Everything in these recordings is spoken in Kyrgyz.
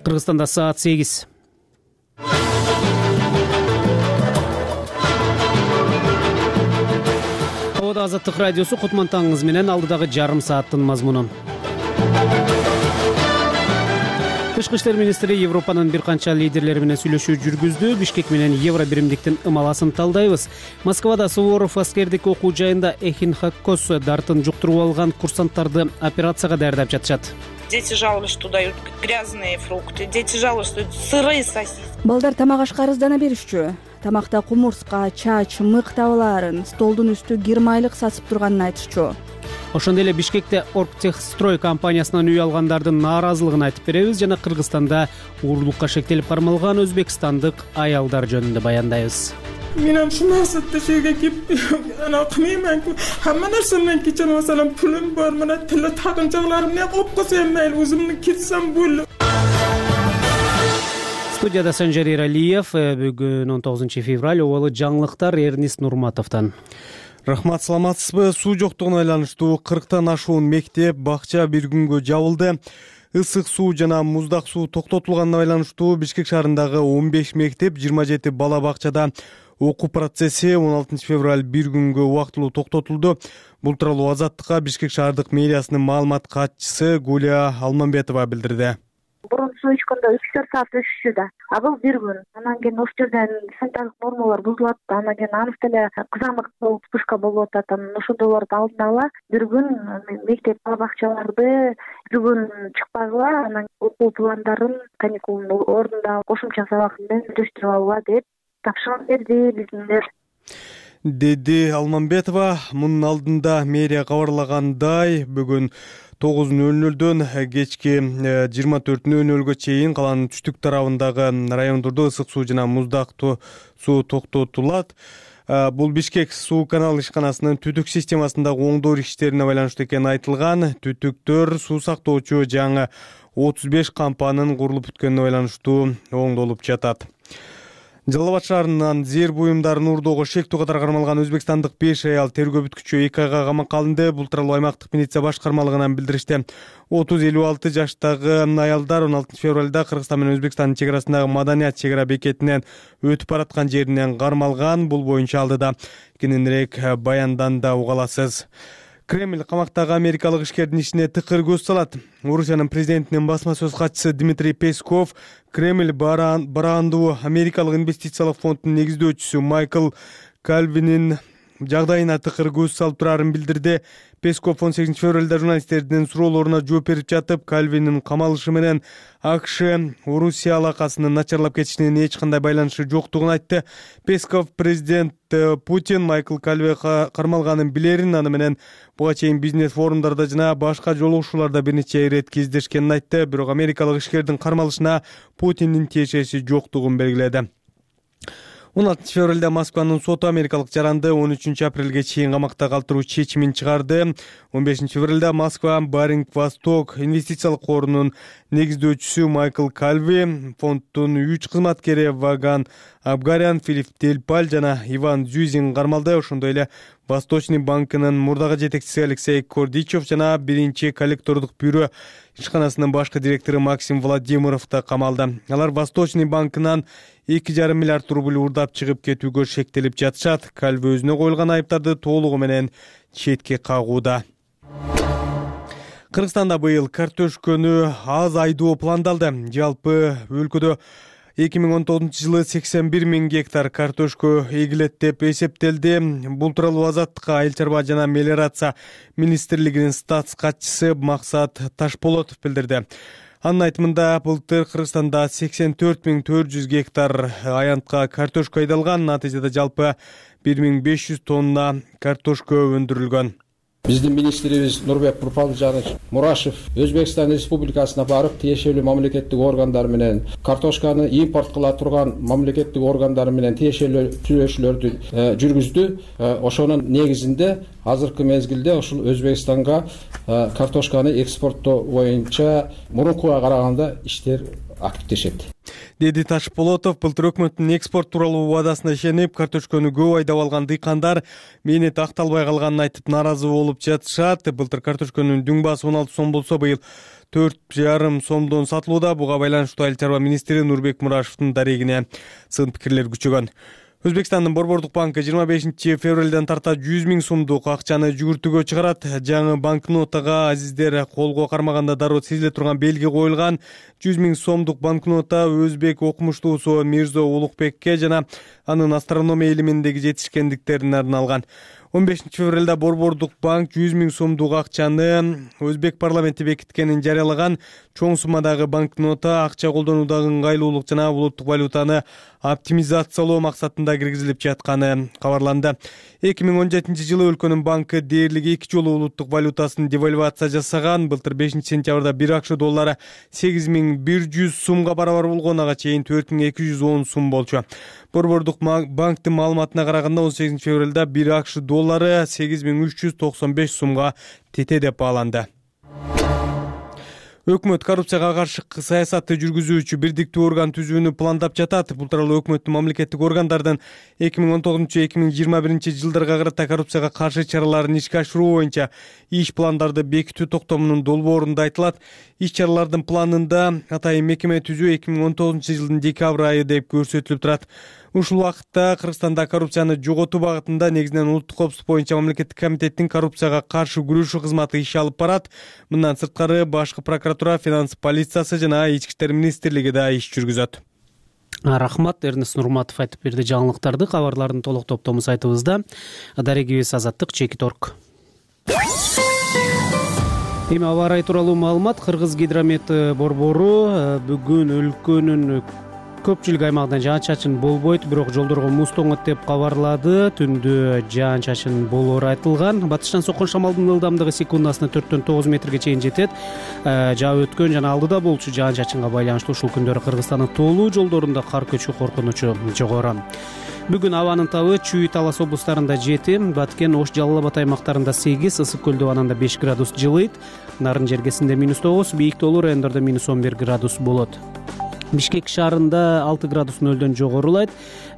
Кыргызстанда саат 8. Абада Азаттык радиосу Кутман таңыңыз менен алдыдагы жарым сааттын мазмунун. Тышкы иштер министри Европанын бир канча лидерлери менен сүйлөшүү жүргүздү. Бишкек менен евро биримдиктин ымаласын талдайбыз. Москвада Суворов аскердик окуу жайында эхинококкоз дартын жуктуруп алган курсанттарды операцияга даярдап жатышат. Дети жаловались, что дают грязные фрукты. Дети жаловались, что сырые сосиски. Балдар тамак ашка арыздана беришчү. Тамакта кумурска, чач, мык табылаарын, столдун үстү кир майлык сасып турганын айтышчу. Ошондой эле Бишкекте Оргтехстрой компаниясынан үй алгандардын нааразылыгын айтып беребиз жана Кыргызстанда уурулукка шектелип кармалган өзбекстандык аялдар жөнүндө баяндайбыз. Мен ушул максатта жерге келип ана кылмайман. Хамма нерсемден кечен маселен пулум бар, мына тиле тагынчаларым не кылып койсом мейли, өзүмдүн кетсем болду. Студияда Санжар Иралиев, бүгүн 19 февраль, обалы жаңылыктар Эрнис Нурматовдон. Рахмат, саламатсызбы? Суу жоктугуна байланыштуу 40тан ашуун мектеп, бакча бир күнгө жабылды. Ысык суу жана муздак суу токтотулганына байланыштуу Бишкек шаарындагы 15 мектеп, 27 бала бакчада окуу процесси 16 февраль бир күнгө убактылуу токтотулду. Бул тууралуу Азаттыкка Бишкек шаардык мэриясынын маалымат катчысы Гулия Алмамбетова билдирди. Бурун суу ичкөндө 3-4 саат өтүшчү да. Бул бир күн. Анан кийин ошол жерден санитардык нормалар бузулат. Анан кийин анык деле кызамык вспышка болуп атат. Анан ошондойлорду алдын ала бир күн мектеп бакчаларды бир күн чыкпагыла, анан окуу пландарын каникулдун ордунда кошумча сабак менен өтүштүрүп алгыла деп тапшырма берди биздер. Деди Алмамбетова. Мунун алдында мэрия кабарлагандай, бүгүн 9:00дөн кечки 24:00гө чейин калаанын түштүк тарабындагы райондордо ысык суу жана муздак суу токтотулат. Бул Бишкек суу канал ишканасынын түтүк системасындагы оңдоо иштерине байланыштуу экени айтылган. Түтүктөр суу сактоочу жаңы 35 кампанын курулуп бүткөнүнө байланыштуу оңдолуп жатат. Жалал Абад шаарынын зээр буюмдарын уурдоого шектүү катары кармалган өзбекстандык 5 аял тергөө бүткүчү 2 айга камакка алынды. Бул тууралуу аймактык милиция башкармалыгынан билдиришти. 30-56 жаштагы аялдар 16 февралда Кыргызстан менен Өзбекстандын чек арасындагы Маданият чек ара бекетинен өтүп бараткан жеринен кармалган. Бул боюнча алдыда кененирээк баянданда уга аласыз. Кремль камактагы америкалык ишкердин ишине тыкыр көз салат. Орусиянын президентинин басма сөз катчысы Дмитрий Песков Кремль бараандуу америкалык инвестициялык фондунун негиздөөчүсү Майкл Кальвинин жагдайына тыкыр көз салып турарын билдирди. Песков 18 февралда журналисттердин суроолоруна жооп берип жатып, Кальвинин камалышы менен АКШ Орусия алакасынын начарлап кетишинин эч кандай байланышы жоктугун айтты. Песков президент Путин Майкл Кальви кармалганын билерин, аны менен буга чейин бизнес форумдарда жана башка жолугушууларда бир нече ирет кездешкенин айтты. Бирок америкалык ишкердин кармалышына Путиндин тиешеси жоктугун белгиледи. 16 февралда Москванын соту америкалык жаранды 13 апрелге чейин камакта калтыруу чечимин чыгарды. 15 февралда Москва Баринг Восток инвестициялык корунун негиздөөчүсү Майкл Кальви, фонддун 3 кызматкери Ваган Абгарян, Филипп Тельпаль жана Иван Зюзин кармалды. Ошондой эле Восточный банкынын мурдагы жетекчиси Алексей Кордичев жана биринчи коллектордук бюро ишканасынын башкы директору Максим Владимиров да камалды. Алар Восточный банкынан 2,5 миллиард рубль уурдап чыгып кетүүгө шектелип жатышат. Кальви өзүнө коюлган айыптарды толугу менен четке кагууда. Кыргызстанда быйыл картошкөнү аз айдоо пландалды. Жалпы өлкөдө 2019-жылы 81 000 гектар картошка эгилет деп эсептелди. Бул тууралуу Азаттыкка Айыл чарба жана мелиорация министрлигинин статс катчысы Максат Ташполотов билдирди. Анын айтымында былтыр Кыргызстанда 84 400 гектар аянтка картошка айдалган. Натыйжада жалпы 1500 тонна картошка өндүрүлгөн. Биздин министрибиз Нурбек Бурпалжанович Мурашев Өзбекстан Республикасына барып, тиешелүү мамлекеттик органдар менен картошканы импорт кыла турган мамлекеттик органдар менен тиешелүү сүйлөшүүлөрдү жүргүздү. Ошонун негизинде азыркы мезгилде ушул Өзбекстанга картошканы экспорттоо боюнча мурункуга караганда иштер активдешет. деди Ташполотов. Былтыр өкмөттүн экспорт тууралуу убадасына ишенип, карточканы көп айдап алган дыйкандар мээнети акталбай калганын айтып нааразы болуп жатышат. Былтыр карточканын дүң баасы 16 сом болсо, быйыл 4,5 сомдон сатылууда. Буга байланыштуу Айыл чарба министри Нурбек Мурашевдин дарегине сын пикирлер күчөгөн. Өзбекстандын Борбордук банкы 25 февралдан тарта 100 000 сомдук акчаны жүгүртүүгө чыгарат. Жаңы банкнотага азиздер колго кармаганда дароо сезиле турган белги коюлган. 100 000 сомдук банкнота өзбек окумуштуусу Мирзо Улукбекке жана анын астрономия илиминдеги жетишкендиктерине арналган. 15 февралда Борбордук банк 100 000 сомдук акчаны өзбек парламенти бекиткенин жарыялаган. Чоң суммадагы банкнота акча колдонуудагы ыңгайлуулук жана улуттук валютаны оптимизациялоо максатында киргизилип жатканы кабарланды. 2017 жылы өлкөнүн банкы дээрлик 2 жолу улуттук валютасын девальвация жасаган. Былтыр 5 сентябрда 1 акш доллары 8100 сумга барабар болгон, ага чейин 4210 сум болчу. Борбордук банктын маалыматына караганда 18 февралда 1 акш доллары 8395 сумга тете деп бааланды. Өкмөт коррупцияга каршы саясатты жүргүзүүчү бирдиктүү орган түзүүнү пландап жатат. Бул тууралуу өкмөттүн мамлекеттик органдардын 2019-2021 жылдарга карата коррупцияга каршы чараларын ишке ашыруу боюнча иш пландарды бекитүү токтомунун долбоорунда айтылат. Иш чаралардын планында атайын мекеме түзүү 2019 жылдын декабрь айы деп көрсөтүлүп турат. Ушул убакытта Кыргызстанда коррупцияны жоготуу багытында негизинен улуттук коопсуздук боюнча мамлекеттик комитеттин коррупцияга каршы күрөшүү кызматы иш алып барат. Мындан сырткары башкы прокуратура, финанс полициясы жана ички иштер министрлиги да иш жүргүзөт. Рахмат, Эрнест Нурматов айтып берди жаңылыктарды. Кабарлардын толук топтому сайтыбызда. Дарегибиз Азаттык Чекиторг. Эми аба ырайы тууралуу маалымат. Кыргыз гидромет борбору бүгүн өлкөнүн көпчүлүк аймагында жаан-чачын болбойт, бирок жолдорго муз тоңот деп кабарлады. Түндө жаан-чачын болоору айтылган. Батыштан соккон шамалдын ылдамдыгы секундасына 4-9 метрге чейин жетет. Жаап өткөн жана алдыда болчу жаан-чачынга байланыштуу ушул күндөрү Кыргызстандын тоолуу жолдорунда кар көчүү коркунучу жогору. Бүгүн абанын табы Чүй, Талас облустарында 7, Баткен, Ош, Жалал Абад аймактарында 8, Ысык көл абанында 5 градус жылыйт. Нарын жергесинде -9, бийик тоолуу райондордо -11 градус болот. Бишкек шаарында 6 градус нөлдөн жогорулайт.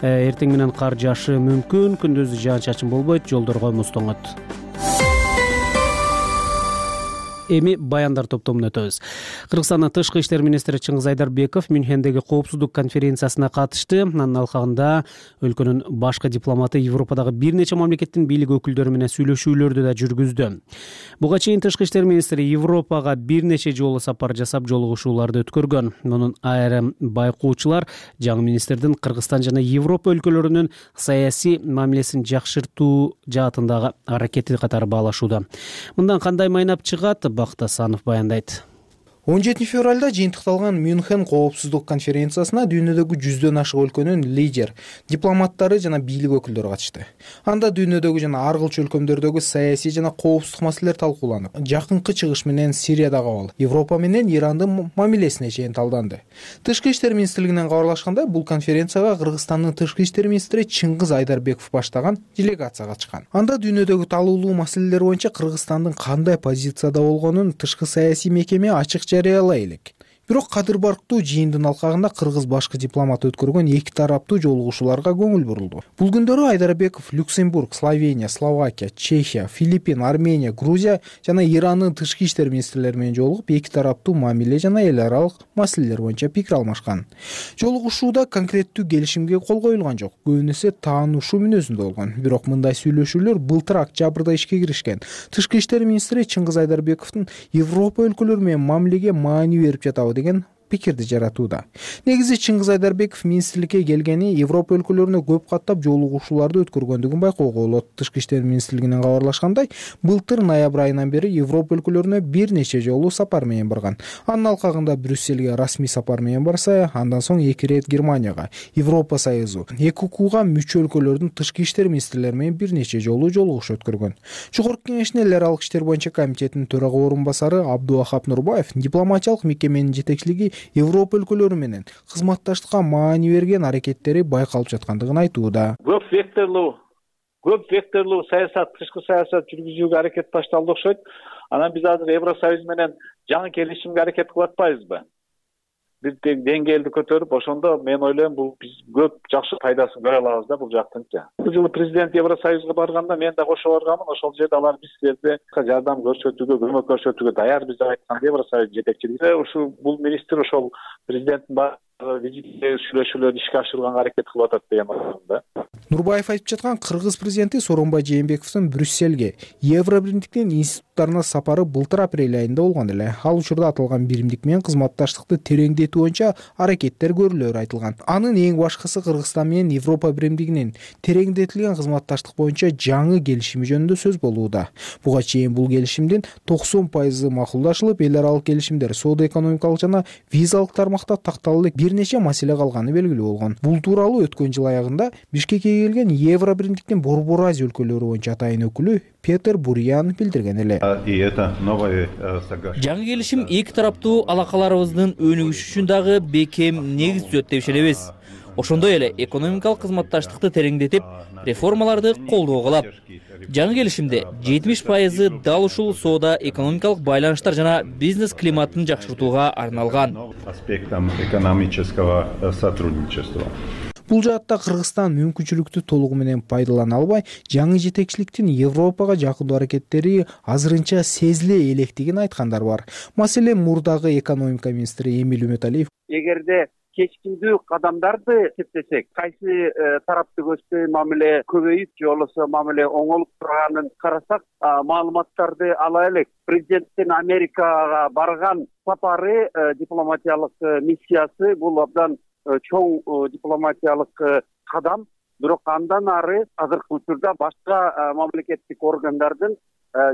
Эртең менен кар жаашы мүмкүн. Күндүз жаан-чачын болбойт, жолдорго муз тоңот. Эми баяндар топтомуна өтөбүз. Кыргызстандын тышкы иштер министри Чыңгыз Айдарбеков Мюнхендеги коопсуздук конференциясына катышты. Анын алкагында өлкөнүн башкы дипломаты Европадагы бир нече мамлекеттин бийлик өкүлдөрү менен сүйлөшүүлөрдү да жүргүздү. Буга чейин тышкы иштер министри Европага бир нече жолу сапар жасап, жолугушууларды өткөргөн. Мунун айрым байкоочулар жаңы министрдин Кыргызстан жана Европа өлкөлөрүнүн саясий мамилесин жакшыртуу жаатындагы аракети катары баалашууда. Мындан кандай майнап чыгат? Бакыт Асанов баяндайт. 17 февралда жыйынтыкталган Мюнхен коопсуздук конференциясына дүйнөдөгү 100дөн ашык өлкөнүн лидер, дипломаттары жана бийлик өкүлдөрү катышты. Анда дүйнөдөгү жана ар кылчу өлкөмдөрдөгү саясий жана коопсуздук маселелер талкууланып, жакынкы чыгыш менен Сириядагы абал, Европа менен Ирандын мамилесине чейин талданды. Тышкы иштер министрлигинен кабарлашкандай, бул конференцияга Кыргызстандын тышкы иштер министри Чыңгыз Айдарбеков баштаган делегация катышкан. Анда дүйнөдөгү талуулуу маселелер боюнча Кыргызстандын кандай позицияда болгонун тышкы саясий мекеме ачык жарыялай элек. Бирок кадыр барктуу жыйындын алкагында кыргыз башкы дипломат өткөргөн эки тараптуу жолугушууларга көңүл бурулду. Бул күндөрү Айдарбеков Люксембург, Словения, Словакия, Чехия, Филиппин, Армения, Грузия жана Ирандын тышкы иштер министрлери менен жолугуп, эки тараптуу мамиле жана эл аралык маселелер боюнча пикир алмашкан. Жолугушууда конкреттүү келишимге кол коюлган жок, көбүнесе таанышуу мүнөзүндө болгон. Бирок мындай сүйлөшүүлөр былтыр октябрда ишке киришкен. Тышкы иштер министри Чыңгыз Айдарбековдун Европа өлкөлөрү менен мамилеге маани берип жатабы деген пикирди жаратууда. Негизи Чыңгыз Айдарбеков министрликке келгени Европа өлкөлөрүнө көп каттап жолугушууларды өткөргөндүгүн байкоого болот. Тышкы иштер министрлигинен кабарлашкандай, былтыр ноябрь айынан бери Европа өлкөлөрүнө бир нече жолу сапар менен барган. Анын алкагында Брюссельге расмий сапар менен барса, андан соң 2 рет Германияга, Европа Союзу, ЭКУКга мүчө өлкөлөрдүн тышкы иштер министрлери менен бир нече жолу жолугуш өткөргөн. Жогорку кеңештин эл аралык иштер боюнча комитетинин төрага орун басары Абдувахап Нурбаев дипломатиялык мекеменин жетекчилиги Европа өлкөлөрү менен кызматташтыкка маани берген аракеттери байкалып жаткандыгын айтууда. Көп векторлуу саясат, тышкы саясат жүргүзүүгө аракет башталды окшойт. Анан биз азыр Евросоюз менен жаңы келишимге аракет кылып атпайбызбы? бир деңгээлди көтөрүп, ошондо мен ойлойм бул биз көп жакшы пайдасын көрө алабыз да бул жактынча. Бул жылы президент Евросоюзга барганда мен да кошо барганмын. Ошол жерде алар бизге жардам көрсөтүүгө, көмөк көрсөтүүгө даярбыз деп айткан Евросоюз жетекчилиги. Ушу бул министр ошол президенттин визитте сүйлөшүүлөрдү ишке ашырганга аракет кылып атат деген ойдомун. Нурбаев айтып жаткан кыргыз президенти Сооронбай Жээнбековдун Брюссельге Евробиримдиктин институттарына сапары былтыр апрель айында болгон эле. Ал учурда аталган биримдик менен кызматташтыкты тереңдетүү боюнча аракеттер көрүлөөрү айтылган. Анын эң башкысы Кыргызстан менен Европа биримдигинин тереңдетилген кызматташтык боюнча жаңы келишими жөнүндө сөз болууда. Буга чейин бул келишимдин 90% макулдашылып, эл аралык келишимдер соода-экономикалык жана визалык тармакта такталуу бир нече маселе калганы белгилүү болгон. Бул тууралуу өткөн жыл аягында Бишкекке келген Евробиримдиктин Борбор Азия өлкөлөрү боюнча атайын өкүлү Петер Бурян билдирген эле. Жаңы келишим эки тараптуу алакаларыбыздын өнүгүшү үчүн дагы бекем негиз түзөт деп ишенебиз. Ошондой эле экономикалык кызматташтыкты тереңдетип, реформаларды колдоо кылат. Жаңы келишимде 70% дал ушул соода-экономикалык байланыштар жана бизнес климатын жакшыртууга арналган. Бул жаатта Кыргызстан мүмкүнчүлүктү толугу менен пайдалана албай, жаңы жетекчиликтин Европага жакындоо аракеттери азырынча сезиле электигин айткандар бар. Маселен, мурдагы экономика министри Эмиль Үмөталиев эгерде кечкиндүү кадамдарды эсептесек, кайсы тарапты көздөй мамиле көбөйүп же болбосо мамиле оңолуп турганын карасак, маалыматтарды ала элек. Президенттин Америкага барган сапары, дипломатиялык миссиясы бул абдан чоң дипломатиялык кадам. Бирок андан ары азыркы учурда башка мамлекеттик органдардын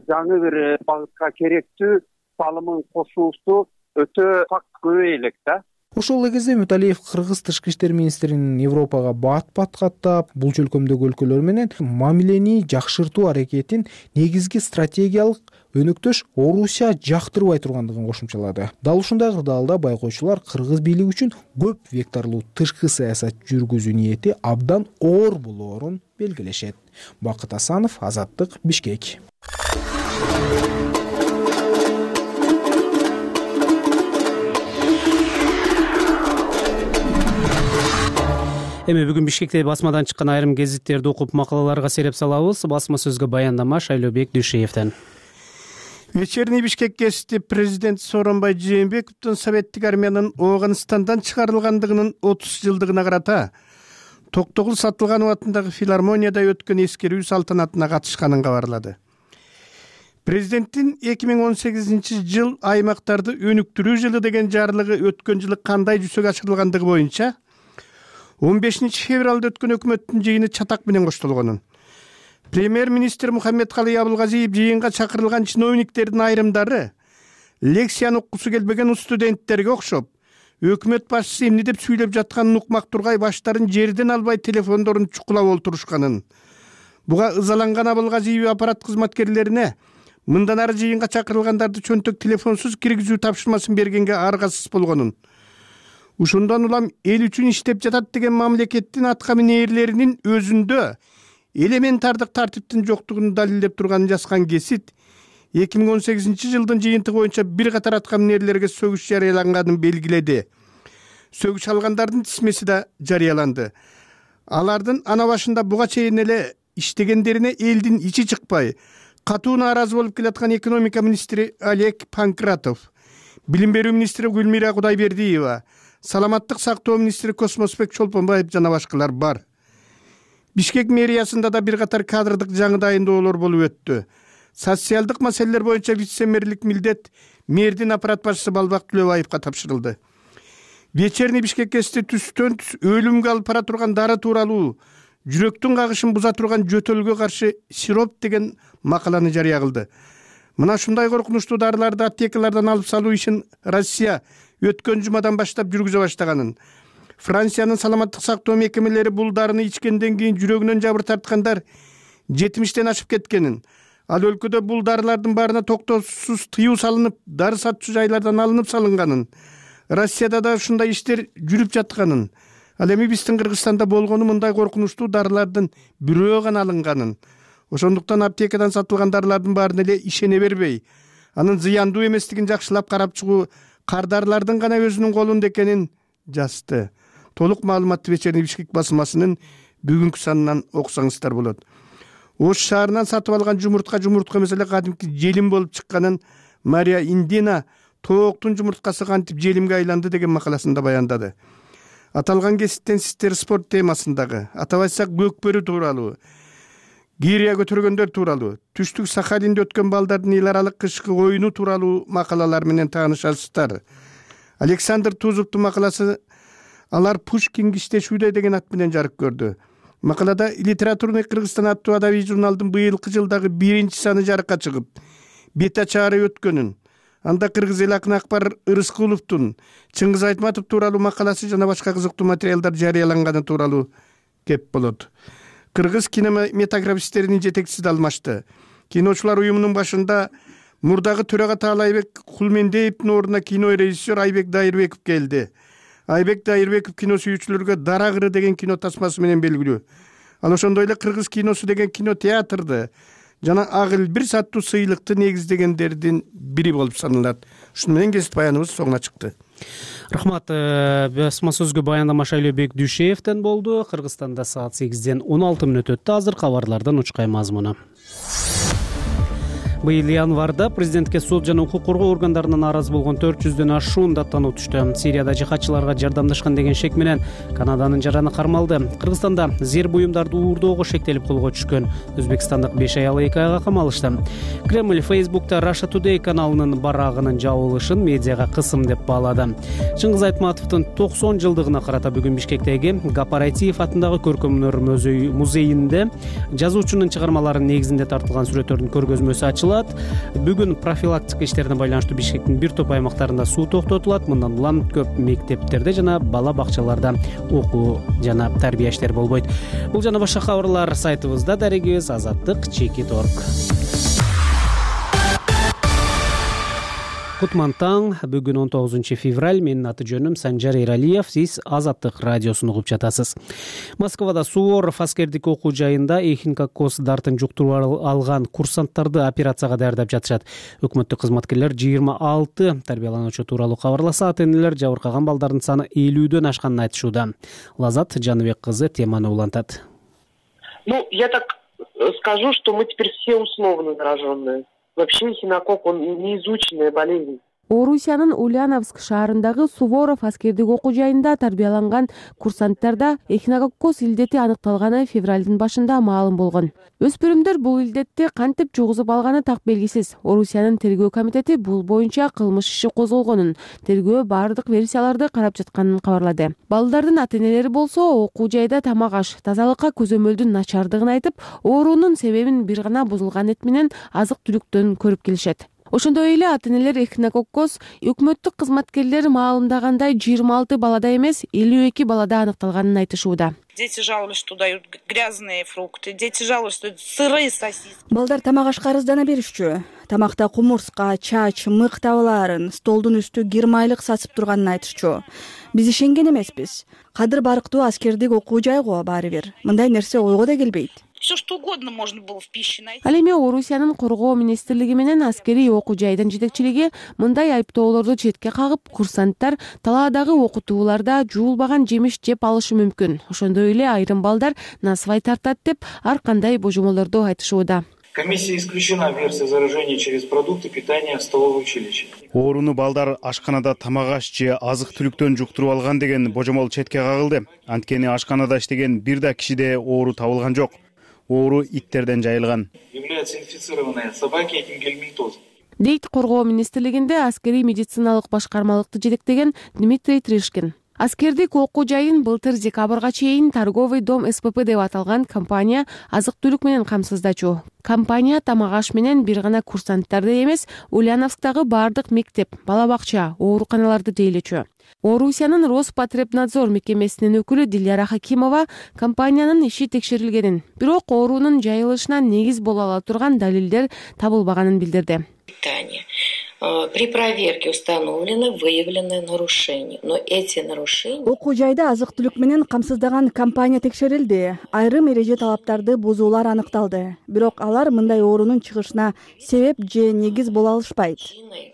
жаңы бир багытка керектүү салымын кошуусу өтө факт көбөй элек да. Ошол эле кезде Үмөталиев Кыргыз тышкы иштер министринин Европага бат-бат каттап, бул чөлкөмдөгү өлкөлөр менен мамилени жакшыртуу аракетин негизги стратегиялык өнөктөш Орусия жактырбай тургандыгын кошумчалады. Дал ушундай кырдаалда байкоочулар Кыргыз бийлиги үчүн көп векторлуу тышкы саясат жүргүзүү ниети абдан оор болоорун белгилешет. Бакыт Асанов, Азаттык, Бишкек. Эми бүгүн Бишкекте басмадан чыккан айрым гезиттерди окуп макалаларга сереп салабыз. Басма сөзгө баяндама Шайлообек Дүйшеевден. Вечерний Бишкек гезити президент Сооронбай Жээнбековдун советтик армиянын Ооганстандан чыгарылгандыгынын 30 жылдыгына карата Токтогул Сатылганов атындагы филармонияда өткөн эскерүү салтанатына катышканын кабарлады. Президенттин 2018 жыл аймактарды өнүктүрүү жылы деген жарлыгы өткөн жылы кандай жүзөгө ашырылгандыгы боюнча 15 февралда өткөн өкмөттүн жыйыны чатак менен коштолгонун, премьер-министр Мухаммедкалый Абылгазиев жыйынга чакырылган чиновниктердин айрымдары лекцияны уккусу келбеген студенттерге окшоп, өкмөт башчысы эмне деп сүйлөп жатканын укмак тургай баштарын жерден албай телефондорун чукулап олтурушканын. Буга ызаланган Абылгазиев аппарат кызматкерлерине мындан ары жыйынга чакырылгандарды чөнтөк телефонсуз киргизүү тапшырмасын бергенге аргасыз болгонун, ушундан улам эл үчүн иштеп жатат деген мамлекеттин атка минээрлеринин өзүндө элементардык тартиптин жоктугун далилдеп турганын жазган гезит 2018 жылдын жыйынтыгы боюнча бир катар атка минээрлерге сөгүш жарыяланганын белгиледи. Сөгүш алгандардын тизмеси да жарыяланды. Алардын ана башында буга чейин эле иштегендерине элдин ичи чыкпай, катуу нааразы болуп келаткан экономика министри Олег Панкратов, билим берүү министри Гүлмира Кудайбердиева, саламаттык сактоо министри Космосбек Чолпонбаев жана башкалар бар. Бишкек мэриясында да бир катар кадрдык жаңы дайындоолор болуп өттү. Социалдык маселелер боюнча вице-мэрлик милдет мэрдин аппарат башчысы Балбак Түлөбаевга тапшырылды. Вечерний Бишкек гезити түстөн түс өлүмгө алып бара турган дары тууралуу жүрөктүн кагышын буза турган жөтөлгө каршы сироп деген макаланы жарыя кылды. Мына ушундай коркунучтуу дарыларды аптекалардан алып салуу ишин Россия өткөн жумадан баштап жүргүзө баштаганын, Франциянын саламаттык сактоо мекемелери бул дарыны ичкенден кийин жүрөгүнөн жабыр тарткандар 70тен ашып кеткенин, ал өлкөдө бул дарылардын баарына токтоосуз тыюу салынып, дары сатчу жайлардан алынып салынганын, Россияда да ушундай иштер жүрүп жатканын, ал эми биздин Кыргызстанда болгону мындай коркунучтуу дарылардын бирөө гана алынганын, ошондуктан аптекадан сатылган дарылардын баарына эле ишене бербей, анын зыяндуу эместигин жакшылап карап чыгуу кардарлардын гана өзүнүн колунда экенин жазды. Толук маалыматты Вечерний Бишкек басмасынын бүгүнкү санынан окусаңыздар болот. Ош шаарынан сатып алган жумуртка эмес эле кадимки желим болуп чыкканын Мария Индина тооктун жумурткасы кантип желимге айланды деген макаласында баяндады. Аталган кесиптен сиздер спорт темасындагы, атап айтсак көкбөрү тууралуу, гирия көтөргөндөр тууралуу, түштүк Сахалинде өткөн балдардын эл аралык кышкы оюну тууралуу макалалар менен таанышасыздар. Александр Тузовдун макаласы «Алар Пушкин киштешүүдө» деген ат менен жарык көрдү. Макалада «Литературный Кыргызстан» аттуу адабий журналдын быйылкы жылдагы 1-чи саны жарыкка чыгып, бет ачаары өткөнүн, анда кыргыз эл акыны Акбар Ырыскуловдун, Чыңгыз Айтматов тууралуу макаласы жана башка кызыктуу материалдар жарыяланганы тууралуу кеп болот. Кыргыз кинематографисттеринин жетекчиси да алмашты. Киночулар уюмунун башында мурдагы төрага Таалайбек Кулмендеевдин ордуна кинорежиссер Айбек Дайырбеков келди. Айбек Дайырбеков кино сүйүүчүлөргө Дара кыры деген кино тасмасы менен белгилүү. Ал ошондой эле кыргыз киносу деген кино театрды жана Ак Илбирс аттуу сыйлыкты негиздегендердин бири болуп саналат. Ушуну менен кесип баяныбыз соңуна чыкты. Рахмат. Басма сөзгө баяндама Шайлообек Дүйшеевден болду. Кыргызстанда саат 8-ден 16 мүнөт өттү. Азыр кабарлардан учкай мазмуну. Быйыл январда президентке сот жана укук коргоо органдарынан арыз болгон 400дөн ашуун даттануу түштү. Сирияда жихадчыларга жардамдашкан деген шек менен Канаданын жараны кармалды. Кыргызстанда зер буюмдарды уурдоого шектелип колго түшкөн. Өзбекстандык 5 аял 2 айга камалышты. Кремль Facebook'та Russia Today каналынын барагынын жабылышын медиага кысым деп баалады. Чыңгыз Айтматовдун 90 жылдыгына карата бүгүн Бишкектеги Гапарайтиев атындагы көркөм өнөр музейинде жазуучунун чыгармаларынын негизинде тартылган сүрөттөрдүн көргөзмөсү ачылды. Бүгүн профилактика иштерине байланыштуу Бишкектин бир топ аймактарында суу токтотулат. Мындан улам көп мектептерде жана бала бакчаларда окуу жана тарбия иштери болбойт. Бул жана башка кабарлар сайтыбызда. Дарегибиз azattik.org. Кутман таң. Бүгүн 19 февраль. Менин аты жөнүм Санжар Эралиев. Сиз Азаттык радиосун угуп жатасыз. Москвада Суворов аскердик окуу жайында эхинококкоз дартын жуктуруп алган курсанттарды операцияга даярдап жатышат. Өкмөттүк кызматкерлер 26 тарбиялануучу тууралуу кабарласа, ата-энелер жабыркаган балдардын саны 50дөн ашканын айтышууда. Лазат Жаныбек кызы теманы улантат. Я так скажу, что мы теперь все условно зараженные. Вообще эхинококк, он неизученная болезнь. Орусиянын Ульяновск шаарындагы Суворов аскердик окуу жайында тарбияланган курсанттарда эхинококкоз илдети аныкталганы февралдын башында маалым болгон. Өспүрүмдөр бул илдетти кантип жугузуп алганы так белгисиз. Орусиянын тергөө комитети бул боюнча кылмыш иши козголгонун, тергөө бардык версияларды карап жатканын кабарлады. Балдардын ата-энелери болсо окуу жайда тамак аш, тазалыкка көзөмөлдүн начардыгын айтып, оорунун себебин бир гана бузулган эт менен азык-түлүктөн көрүп келишет. Ошондой эле ата-энелер эхинококкоз өкмөттүк кызматкерлер маалымдагандай 26 балада эмес, 52 балада аныкталганын айтышууда. Дети жаловались, что дают грязные фрукты. Дети жаловались, что сырые сосиски. Балдар тамак ашка арыздана беришчү. Тамакта кумурска, чач, мык табылаарын, столдун үстү гермайлык сасып турганын айтышчу. Биз ишенген эмеспиз. Кадыр барктуу аскердик окуу жай го баары бир. Мындай нерсе ойго да келбейт. Все что угодно можно было в пище найти. Ал эми Орусиянын коргоо министрлиги менен аскерий окуу жайдын жетекчилиги мындай айыптоолорду четке кагып, курсанттар талаадагы окутууларда жуулбаган жемиш жеп алышы мүмкүн. Ошондой эле айрым балдар насыбай тартат деп ар кандай божомолорду айтышууда. Комиссия исключена версия заражения через продукты питания в столовой училище. Ооруну балдар ашканада тамак аш же азык-түлүктөн жуктуруп алган деген божомол четке кагылды. Анткени ашканада иштеген бир да кишиде оору табылган жок. Оору иттерден жайылган. Являются инфицированные собаки этим гельминтозом. Дейт коргоо министрлигинде аскерий медициналык башкармалыкты жетектеген Дмитрий Тришкин. Аскердик окуу жайын былтыр декабрга чейин торговый дом СПП деп аталган компания азык-түлүк менен камсыздачу. Компания тамак аш менен бир гана курсанттарды эмес, Ульяновсктагы бардык мектеп, бала бакча, ооруканаларды тейлечү. Орусиянын Роспотребнадзор мекемесинин өкүлү Диляра Хакимова компаниянын иши текшерилгенин, бирок оорунун жайылышына негиз боло ала турган далилдер табылбаганын билдирди. При проверке установлены выявлены нарушения, но эти нарушения... Окуу жайда азык-түлүк менен камсыздаган компания текшерилди. Айрым эреже талаптарды бузуулар аныкталды. Бирок алар мындай оорунун чыгышына себеп же негиз боло алышпайт.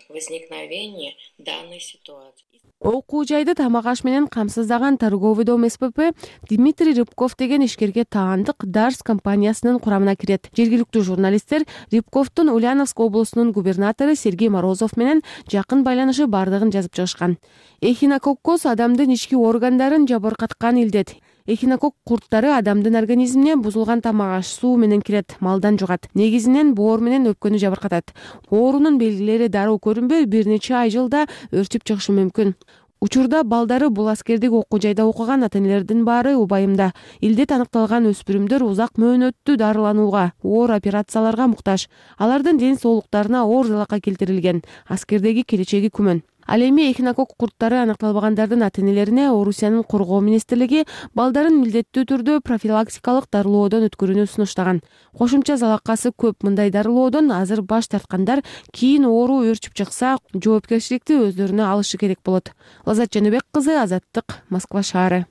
Возникновение данной ситуации. Окуу жайды тамак аш менен камсыздаган торговый дом СПП Дмитрий Рыбков деген ишкерге таандык Дарс компаниясынын курамына кирет. Жергиликтүү журналисттер Рыбковдун Ульяновск облусунун губернатору Сергей Морозов менен жакын байланышы бардыгын жазып чыгышкан. Эхинококкоз адамдын ички органдарын жабыркаткан илдет. Эхинокок курттары адамдын организмине бузулган тамак аш, суу менен кирет, малдан жугат. Негизинен боор менен өпкөнү жабыркатат. Оорунун белгилери дароо көрүнбөй, бир нече ай жылда өрчүп чыгышы мүмкүн. Учурда балдары бул аскердик окуу жайда окуган ата-энелердин баары убайымда. Илдет аныкталган өспүрүмдөр узак мөөнөттүү дарыланууга, оор операцияларга муктаж. Алардын ден соолуктарына оор залакка келтирилген. Аскердеги келечеги күмөн. Ал эми эхинокок курттары аныкталбагандардын ата-энелерине Орусиянын коргоо министрлиги балдарын милдеттүү түрдө профилактикалык дарылоодон өткөрүүнү сунуштаган. Кошумча залакасы көп. Мындай дарылоодон азыр баш тарткандар кийин оору өрчүп чыкса, жоопкерчиликти өздөрүнө алышы керек болот. Лаззат Жаныбек кызы, Азаттык, Москва шаары.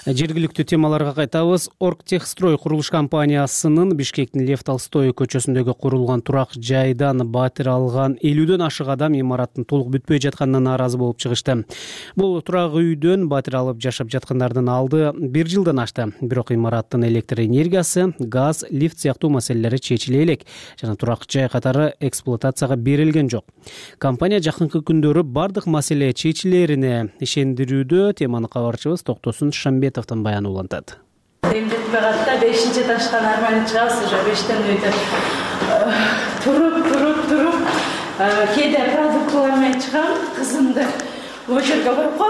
Жергиликтүү темаларга кайтабыз. Оргтехстрой курулуш компаниясынын Бишкектин Лев Толстой көчөсүндөгү курулган турак жайдан батир алган 50дөн ашык адам имараттын толук бүтпөй жатканына нааразы болуп чыгышты. Бул турак үйдөн батир алып жашап жаткандардын алды 1 жылдан ашты. Бирок имараттын электр энергиясы, газ, лифт сыяктуу маселелери чечиле элек жана турак жай катары эксплуатацияга берилген жок. Компания жакынкы күндөрү бардык маселе чечилерине ишендирүүдө. Теманы кабарчыбыз Токтосун Шамбетов баяны улантат. Эмдетпей калды, 5-ташкан арманы чыгабыз уже 5тен үйдө. Туруп, кээде продукталар менен чыгам, кызымды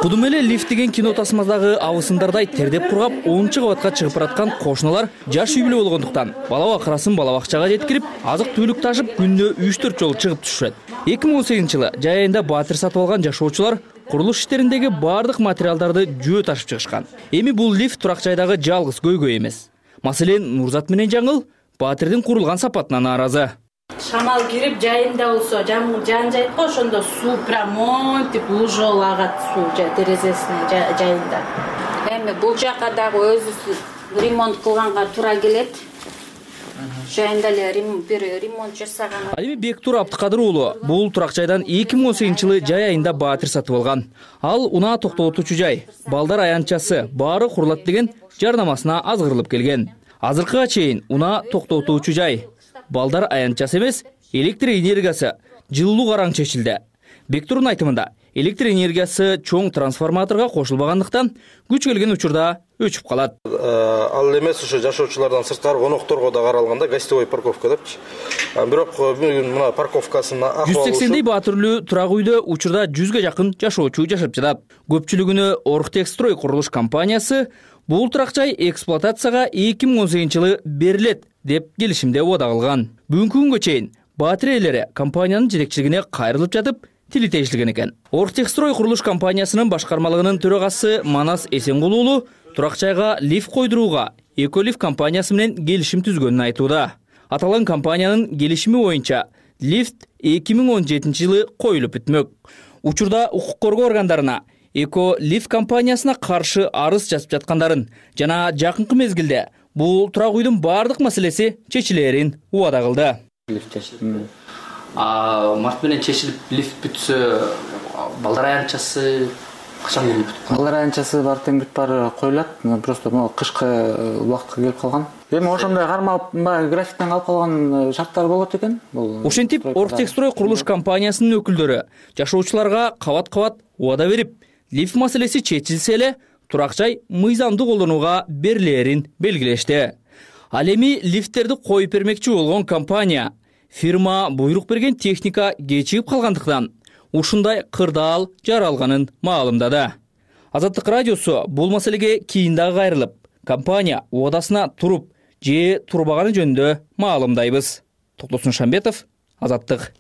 Кудум эле лифт деген кино тасмадагы абысындардай тердеп кургап 10-чы кабатка чыгып бараткан кошуналар жаш үй бүлө болгондуктан балага акырасын бала бакчага жеткирип, азык-түлүк ташып күнүнө 3-4 жолу чыгып түшүшөт. 2018-жылы жай айында батир сатып алган жашоочулар курулуш иштериндеги бардык материалдарды жөө ташып чыгышкан. Эми бул лифт турак жайдагы жалгыз көйгөй эмес. Маселен, Нурзат менен Жаңыл батирдин курулган сапатына нааразы. Шамал кирип жайында болсо, жан жайт го, ошондо суу прямо тип лужол агат суу терезесинин жайында. Эми бул жака дагы өзү ремонт кылганга туура келет. Жайында эле бир ремонт жасаган. Ал эми Бектур Абдыкадыр уулу бул турак жайдан 2018-жылы жай айында батир сатып алган. Ал унаа токтотуучу жай, балдар аянтчасы баары курулат деген жардамасына азгырылып келген. Азыркыга чейин унаа токтотуучу жай, балдар аянтчасы эмес, электр энергиясы жылуу караң чечилди. Бектурдун айтымында, электр энергиясы чоң трансформаторго кошулбагандыктан күч келген учурда өчүп калат. Ал эмес ошо жашоочулардан сырткары конокторго да каралганда гостевой парковка депчи. Бирок бүгүн мына парковкасынын акыбалы 180дей баатүрлүү турак үйдө учурда 100га жакын жашоочу жашап жатат. Көпчүлүгүнө Оргтехстрой курулуш компаниясы бул турак жай эксплуатацияга 2018-жылы берилет деп келишимде убада кылган. Бүгүнкү күнгө чейин батир ээлери компаниянын жетекчилигине кайрылып жатып, тили тейишилген экен. Оргтехстрой курулуш компаниясынын башкармалыгынын төрагасы Манас Эсенгул уулу турак жайга лифт койдурууга Эколифт компаниясы менен келишим түзгөнүн айтууда. Аталган компаниянын келишими боюнча лифт 2017-жылы коюлуп бүтмөк. Учурда укук коргоо органдарына Эколифт компаниясына каршы арыз жазып жаткандарын жана жакынкы мезгилде бул турак үйдүн бардык маселеси чечилерин убада кылды. Март менен чечилип лифт бүтсө, балдар аянтчасы качан келип бүтүп калат? Балдар аянтчасы бар тең бүт баары коюлат. Просто могу кышкы убакытка келип калган. Эми ошондой кармалып, графиктен калып калган шарттар болот экен. Ошентип Оргтехстрой курулуш компаниясынын өкүлдөрү жашоочуларга кабат-кабат убада берип, лифт маселеси чечилсе эле турак жай мыйзамдуу колдонууга берилерин белгилешти. Ал эми лифттерди коюп бермекчи болгон компания фирма буйрук берген техника кечигип калгандыктан ушундай кырдаал жаралганын маалымдады. Азаттык радиосу бул маселеге кийин дагы кайрылып, компания убадасына туруп же турбаганы жөнүндө маалымдайбыз. Токтосун Шамбетов, Азаттык.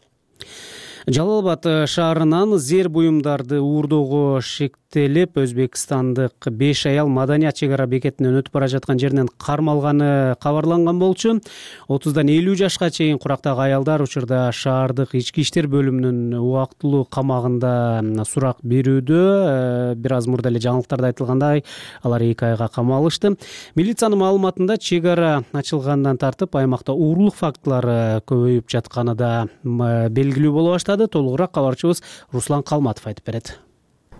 Жалал Абад шаарынан зер буюмдарды уурдоого шектелип, Өзбекстандык 5 аял Маданият чек ара бекетинен өтүп бара жаткан жеринен кармалганы кабарланган болчу. 30дан 50 жашка чейин курактагы аялдар учурда шаардык ички иштер бөлүмүнүн убактылуу камагында сурак берүүдө. Бир аз мурда эле жаңылыктарда айтылгандай, алар 2 айга камалышты. Милициянын маалыматында чек ара ачылгандан тартып аймакта уурулук фактылары көбөйүп жатканы да белгилүү боло баштады. Толугураак кабарчыбыз Руслан Калматов айтып берет.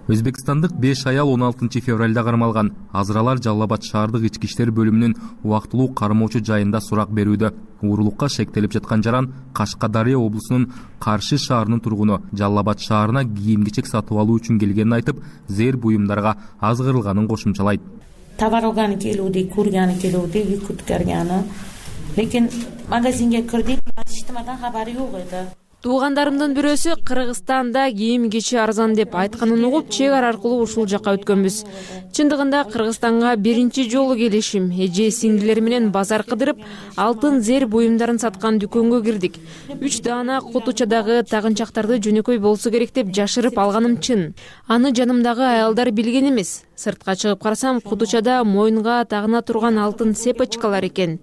Өзбекстандык 5 аял 16 февралда кармалган. Азыр алар Жалал Абад шаардык ички иштер бөлүмүнүн убактылуу кармоочу жайында сурак берүүдө. Уурулукка шектелип жаткан жаран Кашкадария облусунун Каршы шаарынын тургуну. Жалал Абад шаарына кийим-кечек сатып алуу үчүн келгенин айтып, зээр буюмдарга аз кырылганын кошумчалайт. Таварылганы келүүдү, көргөнү келүүдү, күткөргөнү. Лекин магазинге кирдик, ачтымадан кабары жок эди. Туугандарымдын бирөөсү Кыргызстанда кийим-кечи арзан деп айтканын угуп, чек ара аркылуу ушул жакка өткөнбүз. Чындыгында Кыргызстанга биринчи жолу келишим. Эже сиңдилер менен базар кыдырып, алтын зээр буюмдарын саткан дүкөнгө кирдик. 3 даана кутучадагы тагынчактарды жөнөкөй болсо керек деп жашырып алганым чын. Аны жанымдагы аялдар билген эмес. Сыртка чыгып карасам, кутучада моюнга тагына турган алтын цепочкалар экен.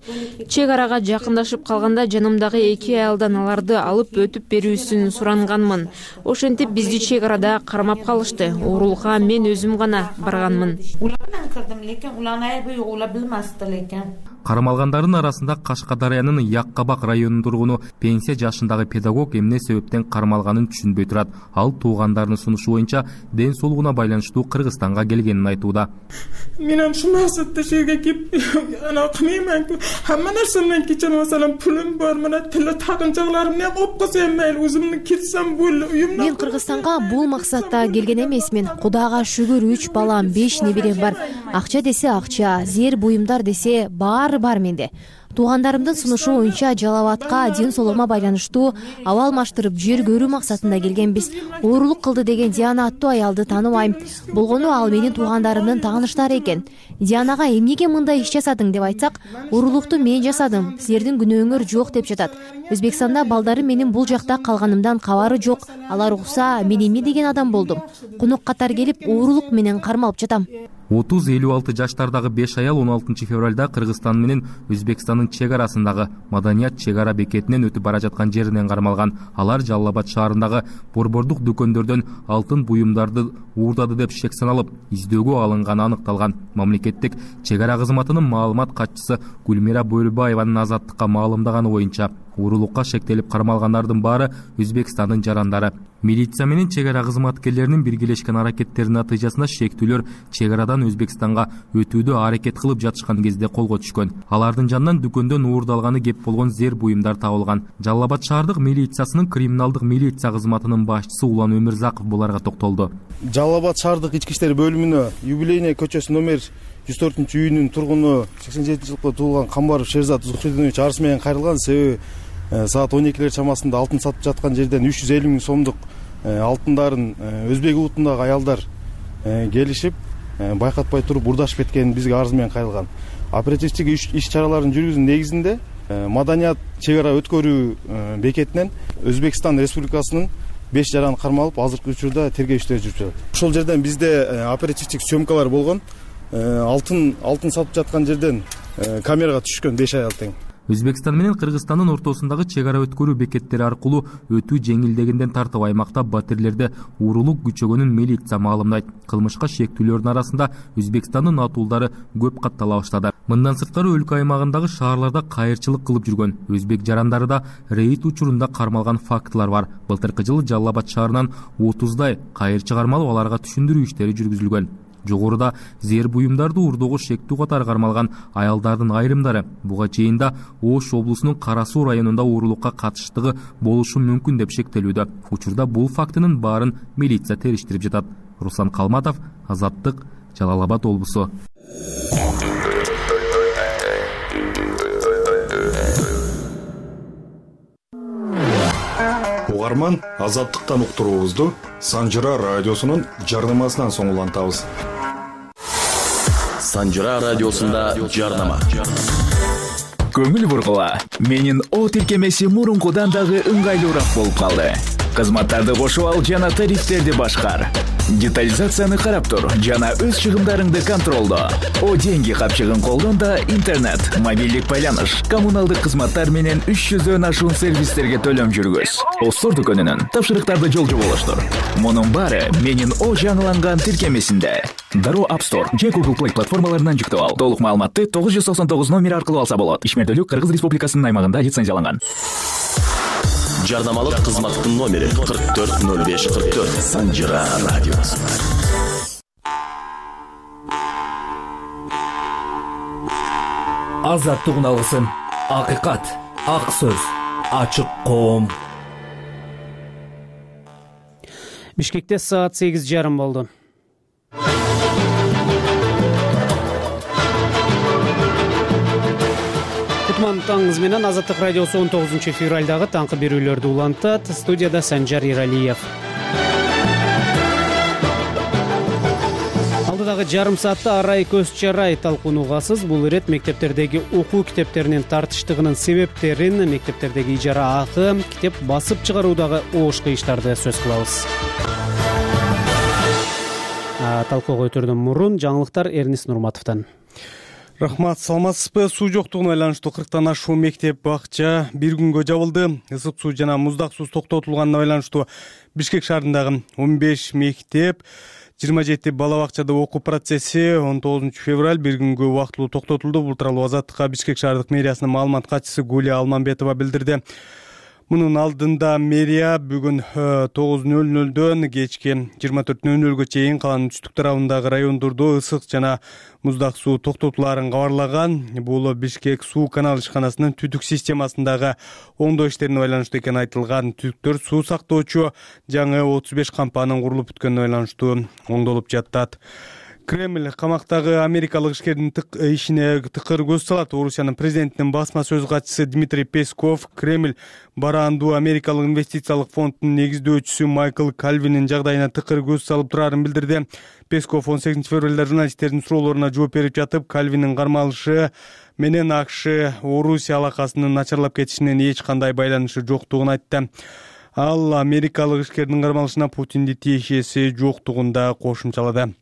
Чек арага жакындашып калганда жанымдагы 2 аялдан аларды алып өтүп берүүсүн суранганмын. Ошентип бизди чек арада кармап калышты. Уурулукка мен өзүм гана барганмын. Улардан кирдим, лекин уларны айбы ула билмести лекин. Кармалгандардын арасында Кашкадарыянын Яккабак районунун тургуну пенсия жашындагы педагог эмне себептен кармалганын түшүнбөй турат. Ал туугандарынын сунушу боюнча ден соолугуна байланыштуу Кыргызстанга келгенин айтууда. Мен ушул максатта жерге кеп, ана кымайман. Хамма нерсемден кечен масалан пулум бар, мына тиле тагынчакларым не кылып койсом мейли, өзүмдүн кетсем бул уюмдан. Мен Кыргызстанга бул максатта келген эмесмин. Кудайга шүгүр 3 балам, 5 неберем бар. Акча десе акча, зээр буюмдар десе бар менде. Туугандарымдын сунушу боюнча Жалал Абадка ден соолугума байланыштуу аба алмаштырып жер көрүү максатында келгенбиз. Уурулук кылды деген Диана аттуу аялды тааныбайм. Болгону ал менин туугандарымдын тааныштары экен. Дианага эмнеге мындай иш жасадың деп айтсак, уурулукту мен жасадым, силердин күнөөңөр жок деп жатат. Өзбекстанда балдарым менин бул жакта калганымдан кабары жок. Алар укса, мен эмне деген адам болдум? Конок катар келип, уурулук менен кармалып жатам. 30-56 жаштардагы 5 аял 16 февралда Кыргызстан менен Өзбекстандын чек арасындагы Маданият чек ара бекетинен өтүп бара жаткан жеринен кармалган. Алар Жалал Абад шаарындагы борбордук дүкөндөрдөн алтын буюмдарды уурдады деп шек саналып, издөөгө алынганы аныкталган. Мамлекеттик чек ара кызматынын маалымат катчысы Гүлмира Бөлбаеванын Азаттыкка маалымдаганы боюнча, уурулукка шектелип кармалгандардын баары Өзбекстандын жарандары. Милиция менен чек ара кызматкерлеринин биргелешкен аракеттеринин натыйжасында шектүүлөр чек арадан Өзбекстанга өтүүдө аракет кылып жатышкан кезде колго түшкөн. Алардын жанынан дүкөндөн уурдалганы кеп болгон зээр буюмдар табылган. Жалал Абад шаардык милициясынын криминалдык милиция кызматынын башчысы Улан Өмүрзаков буларга токтолду. Жалал Абад шаардык ички иштер бөлүмүнө Юбилейный көчөсү номер 104-үйүнүн тургуну 87-жылкы туулган Камбаров Шерзат Зухридинович арыз менен кайрылган. Себеби саат 12 чамасында алтын сатып жаткан жерден 350 000 сомдук алтындарын өзбек улутундагы аялдар келишип, байкатпай туруп урдашып кеткенин бизге арыз менен кайрылган. Оперативдик иш чараларын жүргүзүү негизинде Маданият чек ара өткөрүү бекетинен Өзбекстан Республикасынын 5 жаран кармалып, азыркы учурда тергөө иштери жүрүп жатат. Ошол жерден бизде оперативдик съемкалар болгон. Алтын сатып жаткан жерден камерага түшкөн 5 аял тең. Өзбекстан менен Кыргызстандын ортосундагы чек ара өткөрүү бекеттери аркылуу өтүү жеңилдегенден тартып аймакта батирлерде уурулук күчөгөнүн милиция маалымдайт. Кылмышка шектүүлөрдүн арасында Өзбекстандын атуулдары көп каттала баштады. Мындан сырткары өлкө аймагындагы шаарларда кайырчылык кылып жүргөн өзбек жарандары да рейд учурунда кармалган фактылар бар. Былтыркы жылы Жалал Абад шаарынан 30дай кайырчы кармалып, аларга түшүндүрүү иштери жүргүзүлгөн. Жогоруда зээр буюмдарды уурдоого шектүү катары кармалган аялдардын айрымдары буга чейин да Ош облусунун Кара Суу районунда уурулукка катыштыгы болушу мүмкүн деп шектелүүдө. Учурда бул фактынын баарын милиция териштирип жатат. Руслан Калматов, Азаттык, Жалал Абад облусу. Угарман, Азаттыктан уктуруубузду Санжыра радиосунун жарнамасынан соң улантабыз. Санжыра радиосунда жарнама. Көңүл бургула. Менин о тиркемеси мурункудан дагы ыңгайлуураак болуп калды. Кызматтарды кошуп ал жана тарифтерди башкар. Детализацияны карап тур жана өз чыгымдарыңды контролдо. О деньги капчыгын колдон да интернет, мобилдик байланыш, коммуналдык кызматтар менен 300дөн ашуун сервистерге төлөм жүргүз. Остор дүкөнүнөн тапшырыктарды жолжо болуштур. Мунун баары менин О жаңыланган тиркемесинде. Дароо App Store же Google Play платформаларынан жүктөп ал. Толук маалыматты 999 номери аркылуу алса болот. Ишмердүүлүк Кыргыз Республикасынын аймагында лицензияланган. Жарнамалык кызматтын номери 440544 Санжира радиосу. Азаттык алгысын, акыйкат, ак сөз, ачык коом. Бишкекте саат 8:30 болду. Таңыңыз менен Азаттык радиосу 19 февралдагы таңкы берүүлөрдү улантат. Студияда Санжар Иралиев. Алдыдагы жарым саатта арай көз чарай талкуунугасыз. Бул ирет мектептердеги окуу китептеринин тартыштыгынын себептерин, мектептердеги ижара акы, китеп басып чыгаруудагы оош кыйыштарды сөз кылабыз. Талкууга өтөрдөн мурун жаңылыктар Эрнис Нурматовдон. Рахмат, саламатсызбы? Суу жоктугуна байланыштуу 40тан ашуун мектеп, бакча бир күнгө жабылды. Ысык суу жана муздак суу токтотулганына байланыштуу Бишкек шаарындагы 15 мектеп, 27 бала бакчада окуу процесси 19 февраль бир күнгө убактылуу токтотулду. Бул тууралуу Азаттыкка Бишкек шаардык мэриасынын маалымат катчысы Гулия Алманбетова билдирди. Мунун алдында мэрия бүгүн 9:00дөн кечки 24:00гө чейин каланын түштүк тарабындагы райондордо ысык жана муздак суу токтотулаарын кабарлаган. Бул Бишкек суу канал ишканасынын түтүк системасындагы оңдоо иштерине байланыштуу экени айтылган. Түтүктөр суу сактоочу жаңы 35 кампанын курулуп бүткөнүнө байланыштуу оңдолуп жатат. Кремль камактагы америкалык ишкердин ишине тыкыр көз салат. Орусиянын президентинин басма сөз катчысы Дмитрий Песков Кремль бараандуу америкалык инвестициялык фондунун негиздөөчүсү Майкл Кальвинин жагдайына тыкыр көз салып турарын билдирди. Песков 18 февралда журналисттердин суроолоруна жооп берип жатып, Кальвиндин кармалышы менен АКШ Орусия алакасынын начарлап кетишинен эч кандай байланышы жоктугун айтты. Ал америкалык ишкердин кармалышына Путинди тиешеси жоктугун да кошумчалады.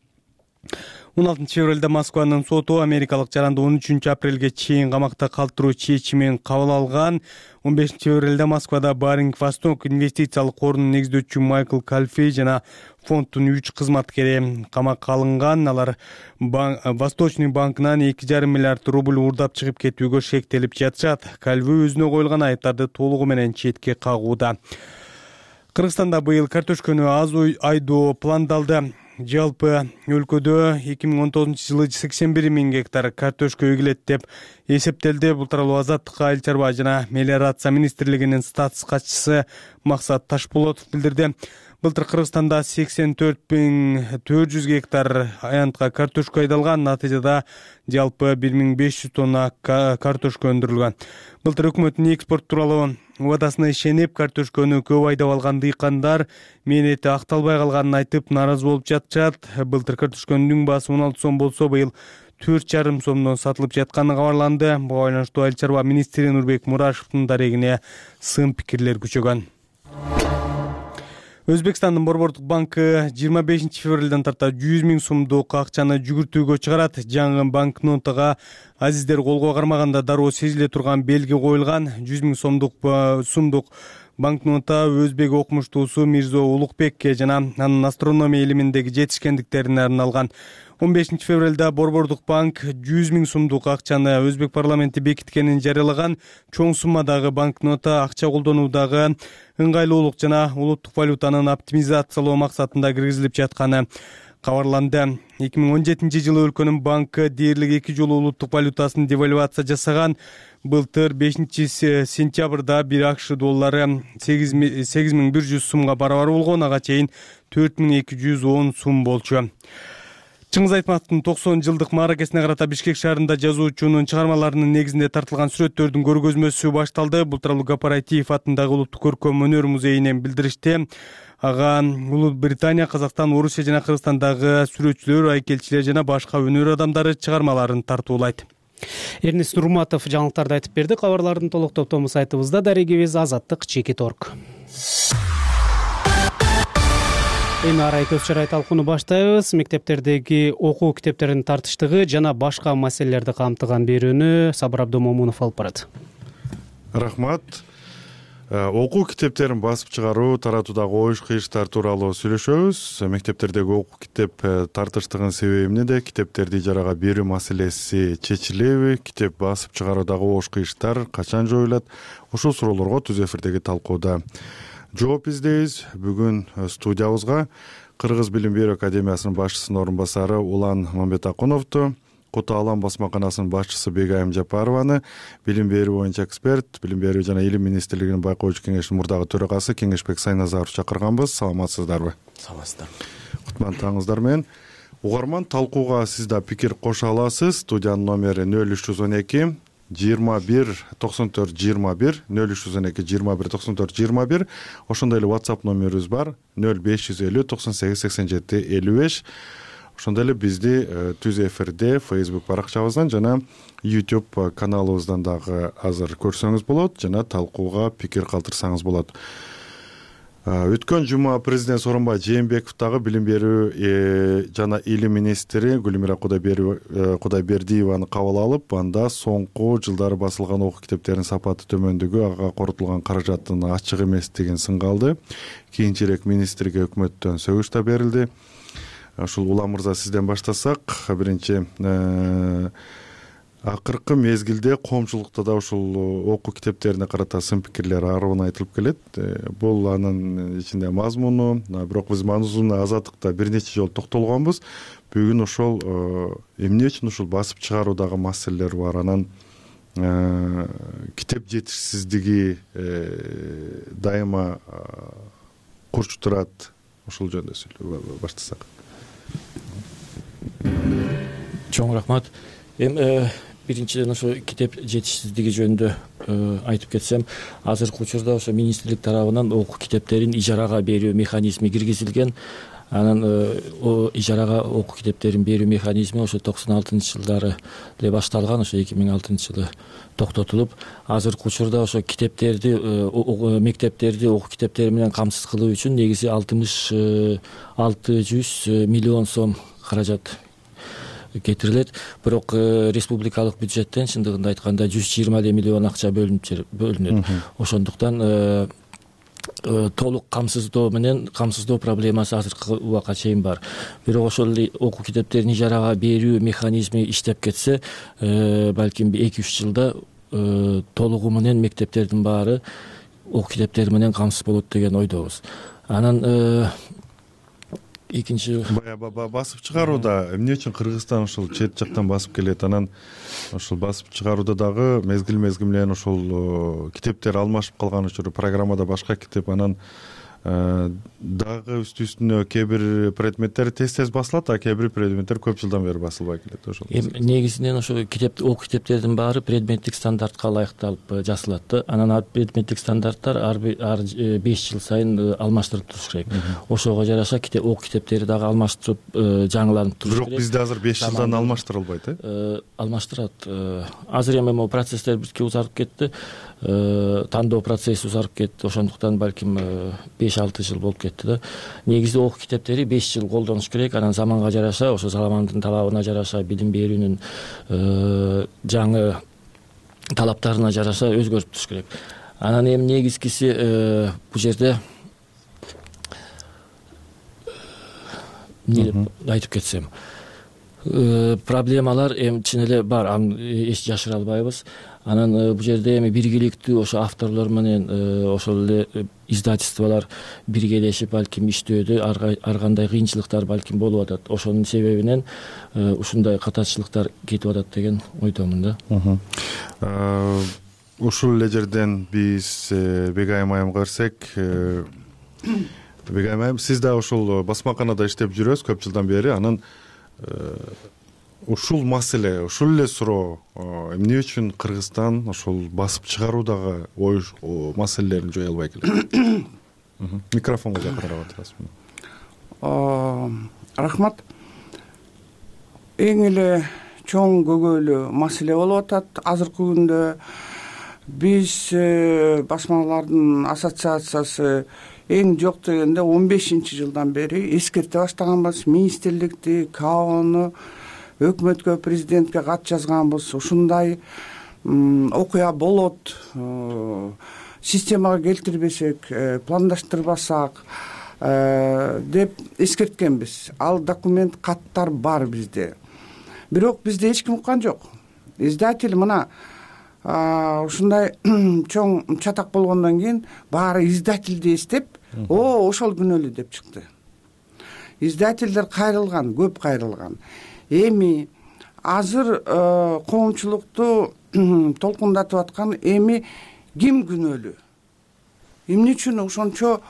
16 февралда Москванын соту америкалык жаранды 13 апрелге чейин камакта калтыруу чечимин кабыл алган. 15 февралда Москвада Баринг Восток инвестициялык корунун негиздөөчүсү Майкл Кальфей жана фонддун 3 кызматкери камакка алынган. Алар Восточный банкынан 2,5 миллиард рубль уурдап чыгып кетүүгө шектелип жатышат. Кальфей өзүнө коюлган айыптарды толугу менен четке кагууда. Кыргызстанда быйыл картошкөнү аз айдоо пландалды. Жалпы өлкөдө 2019 жылы 81 000 гектар картошка эгилет деп эсептелди. Бул тууралуу Азаттыкка Айыл чарба жана мелиорация министрлигинин статс катчысы Максат Ташполотов билдирди. Былтыр Кыргызстанда 84 400 гектар аянтка картошка айдалган. Натыйжада жалпы 1500 тонна картошка өндүрүлгөн. Былтыр өкмөттүн экспорт тууралуу убадасына ишенип, картошканы көп айдап алган дыйкандар мээнети акталбай калганын айтып нааразы болуп жатышат. Былтыр картошканын баасы 16 сом болсо, быйыл 4,5 сомдон сатылып жатканы кабарланды. Буга байланыштуу Айыл чарба министри Нурбек Мурашевдин дарегине сын пикирлер күчөгөн. Өзбекстандын Борбордук банкы 25 февралдан тарта 100 000 сомдук акчаны жүгүртүүгө чыгарат. Жаңы банкнотага азиздер колго кармаганда дароо сезиле турган белги коюлган. 100 000 сомдук банкнота өзбек окумуштуусу Мирзо Улукбекке жана анын астрономия илиминдеги жетишкендиктерине арналган. 15 февралда Борбордук банк 100 000 сомдук акчаны Өзбек парламенти бекиткенин жарыялаган. Чоң суммадагы банкнота акча колдонуудагы ыңгайлуулук жана улуттук валютанын оптимизациялоо максатында киргизилип жатканы кабарланды. 2017 жылы өлкөнүн банкы дээрлик 2 жолу улуттук валютасын девальвация жасаган. Былтыр 5 сентябрда 1 АКШ доллары 8100 сумга барабар болгон, ага чейин 4210 сум болчу. Чыңгыз Айтматовдун 90 жылдык мааракесине карата Бишкек шаарында жазуучунун чыгармаларынын негизинде тартылган сүрөттөрдүн көргөзмөсү башталды. Бул тууралуу Гапараитиев атындагы Улуттук көркөм өнөр музейинен билдиришти. Ага Улуу Британия, Казакстан, Орусия жана Кыргызстандагы сүрөтчүлөр, айкелчилер жана башка өнөр адамдары чыгармаларын тартуулайт. Эрнис Нурматов жаңылыктарды айтып берди. Кабарлардын толук топтому сайтыбызда, дарегибиз Азаттык.org. Эми арай көз чарай талкууну баштайбыз. Мектептердеги окуу китептеринин тартыштыгы жана башка маселелерди камтыган берүүнү Сабыр Абдомомунов алып барат. Рахмат. Окуу китептерин басып чыгаруу, таратуудагы оюш кыйыштар тууралуу сүйлөшөбүз. Мектептердеги окуу китеп тартыштыгынын себеби эмнеде? Китептерди ижарага берүү маселеси чечилеби? Китеп басып чыгаруудагы оюш кыйыштар качан жоюлат? Ушул суроолорго түз эфирдеги талкууда жооп издейбиз. Бүгүн студиябызга Кыргыз билим берүү академиясынын башчысынын орун басары Улан Мамбетакуновду, Кута Алам басмаканасынын башчысы Бегайым Жапарованы, билим берүү боюнча эксперт, билим берүү жана илим министрлигинин байкоочу кеңешинин мурдагы төрагасы Кеңешбек Сайназаров чакырганбыз. Саламатсыздарбы? Саламатсыздар. Кутмандыгыңыздар менен. Угарман, талкууга сиз да пикир кошо аласыз. Студиянын номери 0312 21 94 21 0312 21 94 21. Ошондой эле WhatsApp номерибиз бар 0550 98 87 55. Ошондой эле бизди түз эфирде Facebook баракчабыздан жана YouTube каналыбыздан дагы азыр көрсөңүз болот, жана талкууга пикир калтырсаңыз болот. Өткөн жума президент Сооронбай Жээнбеков дагы билим берүү жана илим министри Гүлмира Кудайбердиеваны кабыл алып, анда соңку жылдары басылган окуу китептеринин сапаты төмөндүгү, ага коротулган каражаттын ачык эместигин сынга алды. Кийинчерээк министрге өкмөттөн сөгүш да берилди. Ушул Улан мырза, сизден баштасак, биринчи акыркы мезгилде коомчулукта да ушул окуу китептерине карата сын пикирлер арыбын айтылып келет. Бул анын ичинде мазмуну, бирок биз мазмунуна азаттыкта бир нече жолу токтолгонбуз. Бүгүн ошол эмне үчүн ушул басып чыгаруудагы маселелер бар, анан китеп жетишсиздиги дайыма курч турат. Ушул жөнүндө сүйлөп баштасак. Чоң рахмат. Биринчиден ошо китеп жетишсиздиги жөнүндө айтып кетсем, азыркы учурда ошо министрлик тарабынан окуу китептерин ижарага берүү механизми киргизилген. Анан ижарага окуу китептерин берүү механизми ошо 96-жылдары эле башталган, ошо 2006-жылы токтотулуп, азыркы учурда ошо китептерди, мектептерди окуу китептери менен камсыз кылуу үчүн негизи 600 миллион сом каражат кетирилет. Бирок республикалык бюджеттен чындыгында айтканда 120 миллион акча бөлүнөт. Ошондуктан толук камсыздоо проблемасы азыркы убакка чейин бар. Бирок ошол окуу китептерин ижарага берүү механизми иштеп кетсе, балким 2-3 жылда толугу менен мектептердин баары окуу китептери менен камсыз болот деген ойдобуз. Анан экинчи басып чыгарууда эмне үчүн Кыргызстан ушул чет жактан басып келет? Анан ушул басып чыгарууда дагы мезгил менен ушул китептер алмашып калган учуру программада башка китеп, анан дагы үстүнө кээ бир предметтер тез басылат, а кээ бир предметтер көп жылдан бери басылбай келет. Ошол негизинен ошо окуу китептердин баары предметтик стандартка ылайыкталып жасалат да. Анан предметтик стандарттар ар 5 жыл сайын алмаштырып туруш керек. Ошого жараша окуу китептери дагы алмаштырып, жаңыланып туруш керек. Бирок бизде азыр 5 жылдан алмаштырылбайт, Алмаштырат. Азыр эми могу процесстер бирке узарып кетти. Тандоо процесси узарып кетти. Ошондуктан балким 5-6 жыл болуп кетти да. Негизи окуу китептери 5 жыл колдонуш керек. Анан заманга жараша, ошо замандын талабына жараша, билим берүүнүн жаңы талаптарына жараша өзгөртүп туруш керек. Анан эми негизгиси бул жерде эмне деп айтып кетсем, проблемалар эми чын эле бар, аны эч жашыра албайбыз. Анан бул жерде эми биргеликтүү ошо авторлор менен ошол эле издательстволор биргелешип балким иштөөдө ар кандай кыйынчылыктар балким болуп атат. Ошонун себебинен ушундай катачылыктар кетип атат деген ойдомун да. Ушул эле жерден биз Бегайым айымга берсек, Бегайым айым, сиз да ушул басмаканада иштеп жүрөсүз көп жылдан бери. Анан ушул маселе, ушул эле суроо, эмне үчүн Кыргызстан ошол басып чыгаруудагы оюш маселелерин жое албай келет? Микрофонго жакыныраак отурасыз. Рахмат. Эң эле чоң көйгөйлүү маселе болуп атат. Азыркы күндө биз басмалардын ассоциациясы эң жок дегенде 15-жылдан бери эскерте баштаганбыз. Министрликти, КАОну, өкмөткө, президентке кат жазганбыз. Ушундай окуя болот, системага келтирбесек, пландаштырбасак деп эскерткенбиз. Ал документ, каттар бар бизде. Бирок бизде эч ким уккан жок. Издатель мына ушундай чоң чатак болгондон кийин баары издательди эстеп, ошол күнөөлүү деп чыкты. Издательдер кайрылган, көп кайрылган. Эми азыр коомчулукту толкундатып аткан эми ким күнөөлүү? Эмне үчүн ошончо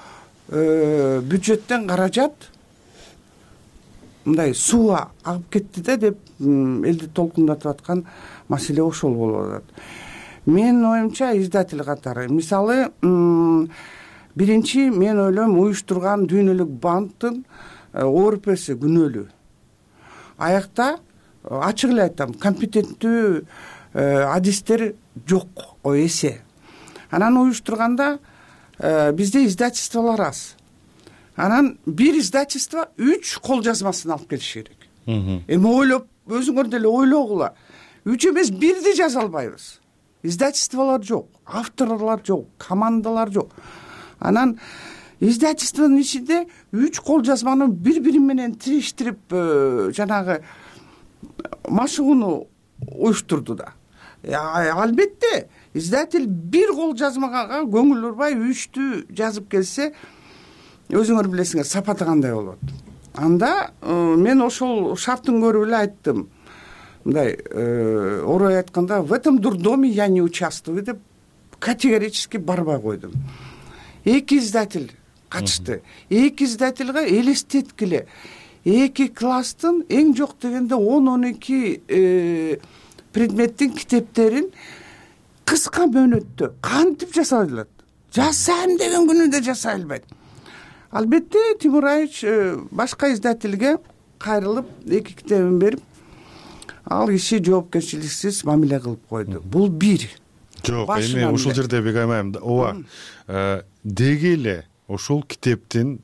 бюджеттен каражат мындай сууга агып кетти да деп элди толкундатып аткан маселе ошол болуп атат. Менин оюмча издатель катары, мисалы, биринчи мен ойлойм уюштурган Дүйнөлүк банктын ОРПси күнөөлүү. Аякта ачык эле айтам, компетенттүү адистер жок, эсе. Анан уюштурганда бизде издательстволор аз. Анан бир издательство 3 кол жазмасын алып келиш керек. Эми ойлоп, өзүңөр деле ойлогула. 3 эмес, 1ди жаза албайбыз. Издательстволор жок, авторлор жок, командалар жок. Анан издательствонун ичинде 3 кол жазманы бири-бири менен тириштирип, жанагы машыгууну уюштурду да. Албетте, издатель бир кол жазмага көңүл бурбай 3тү жазып келсе, өзүңөр билесиңер, сапаты кандай болот. Анда мен ошол шарттын көрүп эле айттым. Мындай орой айтканда, в этом дурдоме я не участвую деп категорически барбай койдум. 2 издатель катышты. 2 издательге элестеткиле. 2 класстын эң жок дегенде 10-12 предметтин китептерин кыска мөөнөттө кантип жасай алат? Жасайм деген күнүдө жасай албайт. Албетте, Тимур Айыч башка издательге кайрылып 2 китебин берип, ал киши жоопкерчиликсиз мамиле кылып койду. Бул бир. Жок, эми ушул жерде бек аймайм. Ооба. Деги эле ошол китептин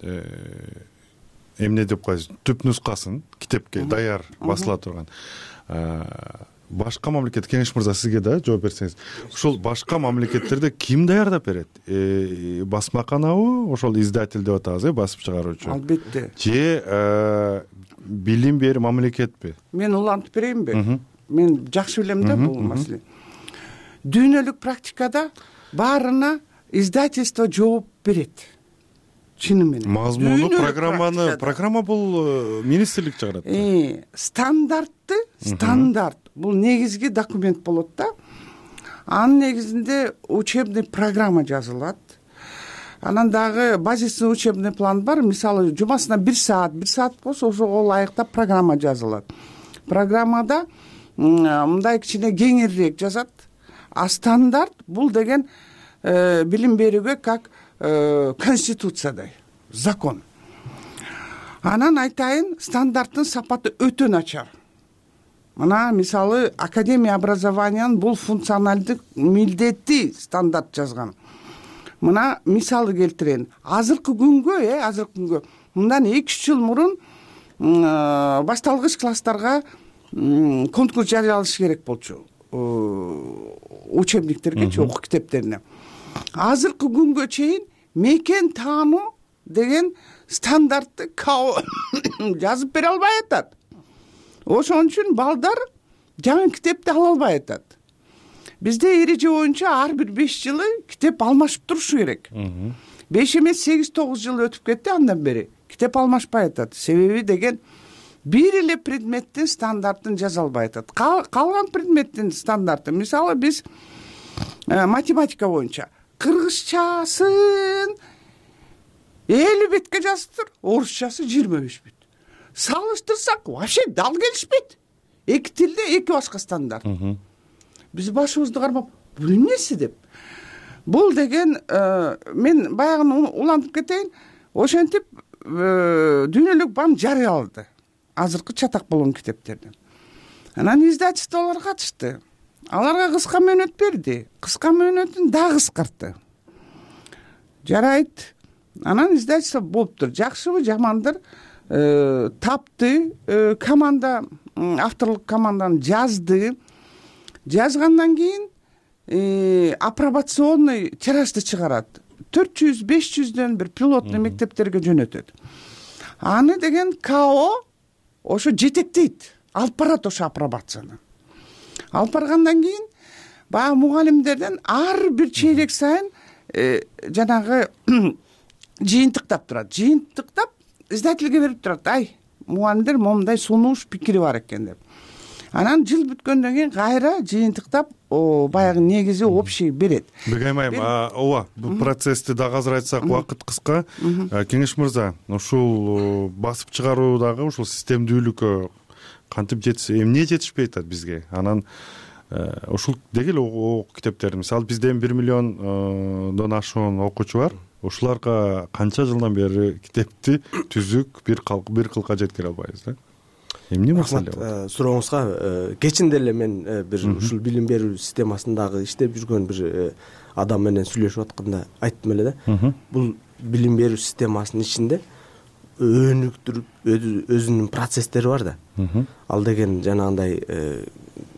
эмне деп коебуз, түп нускасын китепке даяр басыла турган башка мамлекет, Кеңеш мырза, сизге да жооп берсеңиз, ушул башка мамлекеттерде ким даярдап берет? Басмаканабы, ошол издатель деп атабыз, басып чыгаруучу? Албетте. Же билим бери мамлекетпи? Мен улантып берейинби? Мен жакшы билем да бул маселе. Дүйнөлүк практикада баарына издательство жооп берет. Чыны менен. Мазмуну, программа бул министрлик чыгарат. Стандарт бул негизги документ болот да. Анын негизинде учебный программа жазылат. Анан дагы базисный учебный план бар. Мисалы, жумасына 1 саат болсо ошого ылайыктап программа жазылат. Программада мындай кичине кеңирээк жазат. А стандарт бул деген билим берүүгө как конституциядай, закон. Анан айтайын, стандарттын сапаты өтө начар. Мына мисалы, Академия образованиянын бул функционалдык милдети стандарт жазган. Мына мисалы келтирейин. Азыркы күнгө, мындан 2-3 жыл мурун башталгыч класстарга конкурс жарыялаш керек болчу. Учебниктерге, окуу китептерине. Азыркы күнгө чейин мекен таануу деген стандартты жазып бере албай атат. Ошон үчүн балдар жаңы китепти ала албай атат. Бизде эреже боюнча ар бир 5 жылы китеп алмашып турушу керек. 5 эмес 8-9 жыл өтүп кетти андан бери. Китеп алмашпай атат. Себеби деген бир эле предметтин стандартын жаза албай атат. Калган предметтин стандарты, мисалы, биз математика боюнча кыргызчасын 50 бетке жазыптыр, орусчасы 25 бет. Салыштырсак, вообще дал келишпейт. 2 тилде 2 башка стандарт. Биз башыбызды кармап, бул эмнеси деп. Бул деген мен баягы улантып кетейин, ошентип Дүйнөлүк банк жарыялады азыркы чатак болгон китептерден. Анан издательстволор катышты. Аларга кыска мөөнөт берди. Кыска мөөнөтүн дагы кыскартты. Жарайт, анан издательство болуптур, жакшыбы жамандыр, тапты, команда, авторлук команданы жазгандан кийин апробационный тиражды чыгарат, 400-500дөн бир пилоттуу мектептерге жөнөтөт. Аны деген КАО ошо жетектейт, алып барат ошо апробацияны. Алып баргандан кийин баягы мугалимдерден ар бир чейрек сайын жанагы жыйынтыктап турат. Жыйынтыктап издательге берип турат. Ай, мугалимдер момундай сунуш пикири бар экен деп. Анан жыл бүткөндөн кийин кайра жыйынтыктап баягы негизи общий берет. Бегайм айым, ооба, бул процессти дагы азыр айтсак, убакыт кыска. Кеңеш мырза, ушул басып чыгаруудагы ушул системдүүлүккө кантип жетишсе, эмне жетишпей атат бизге? Анан ушул деги эле окуу китептерди, мисалы бизде 1 миллиондон ашуун окуучу бар. Ушуларга канча жылдан бери китепти түзүк бир кылка жеткире албайбыз да? Эмне маселе бар? Сурооңузга кечинде эле мен бир ушул билим берүү системасындагы иштеп жүргөн бир адам менен сүйлөшүп атканда айттым эле да. Бул билим берүү системасынын ичинде өнүктүрүп өзүнүн процесстери бар да. Ал деген жанагындай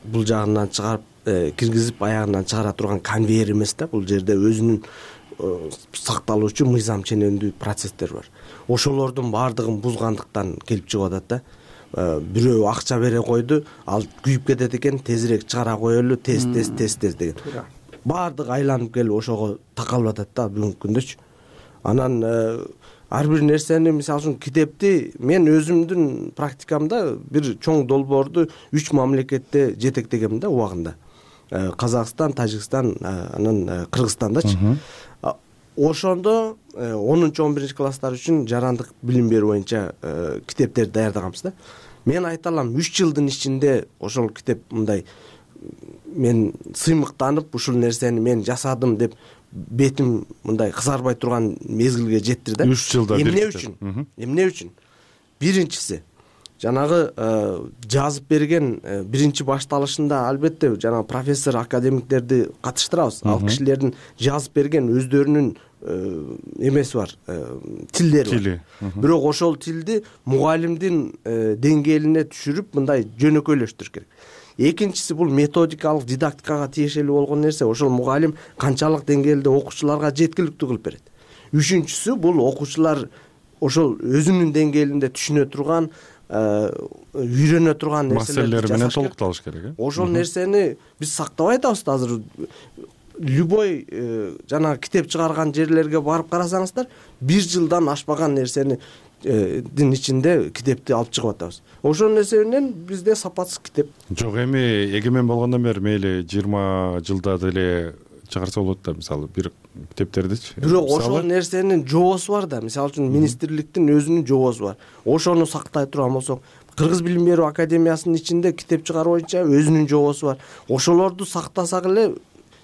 бул жагынан чыгарып киргизип аягынан чыгара турган конвейер эмес да. Бул жерде өзүнүн сакталуучу мыйзам ченемдүү процесстер бар. Ошолордун баардыгын бузгандыктан келип чыгып атат да. Бирөө акча бере койду, ал күйүп кетет экен, тезирээк чыгара коелу, тез деген. Баардыгы айланып келип ошого такалып атат да бүгүнкү күндөчү. Анан ар бир нерсени, мисалы үчүн китепти мен өзүмдүн практикамда бир чоң долбоорду 3 мамлекетте жетектегем да убагында. Казакстан, Тажикстан, анан Кыргызстандачы. Ошондо 10-11 класстар үчүн жарандык билим берүү боюнча китептерди даярдаганбыз да. Мен айта алам, 3 жылдын ичинде ошол китеп мындай мен сыймыктанып, ушул нерсени мен жасадым деп бетим мындай кызарбай турган мезгилге жеттир да. 3 жылда Эмне үчүн? Биринчиси, жанагы жазып берген биринчи башталышында албетте жанагы профессор, академиктерди катыштырабыз. Ал кишилердин жазып берген өздөрүнүн эмеси бар, тилдери бар. Бирок ошол тилди мугалимдин деңгээлине түшүрүп мындай жөнөкөйлөштүрүш керек. Экинчиси бул методикалык дидактикага тиешелүү болгон нерсе. Ошол мугалим канчалык деңгээлде окуучуларга жеткиликтүү кылып берет. Үчүнчүсү бул окуучулар ошол өзүнүн деңгээлинде түшүнө турган, үйрөнө турган нерселер менен толукталыш керек. Ошол нерсени биз сактабай атабыз да. Азыр любой жанагы китеп чыгарган жерлерге барып карасаңыздар, 1 жылдан ашпаган нерсени дин ичинде китепти алып чыгып атабыз. Ошол нерсе менен бизде сапатсыз китеп. Жок, эми эгемен болгондон бери мейли 20 жылда деле чыгарса болот да, мисалы бир китептердичи. Бирок ошол нерсенин жоосу бар да. Мисалы үчүн министрликтин өзүнүн жоосу бар. Ошону сактай турган болсок, Кыргыз билим берүү академиясынын ичинде китеп чыгаруу боюнча өзүнүн жоосу бар. Ошолорду сактасак эле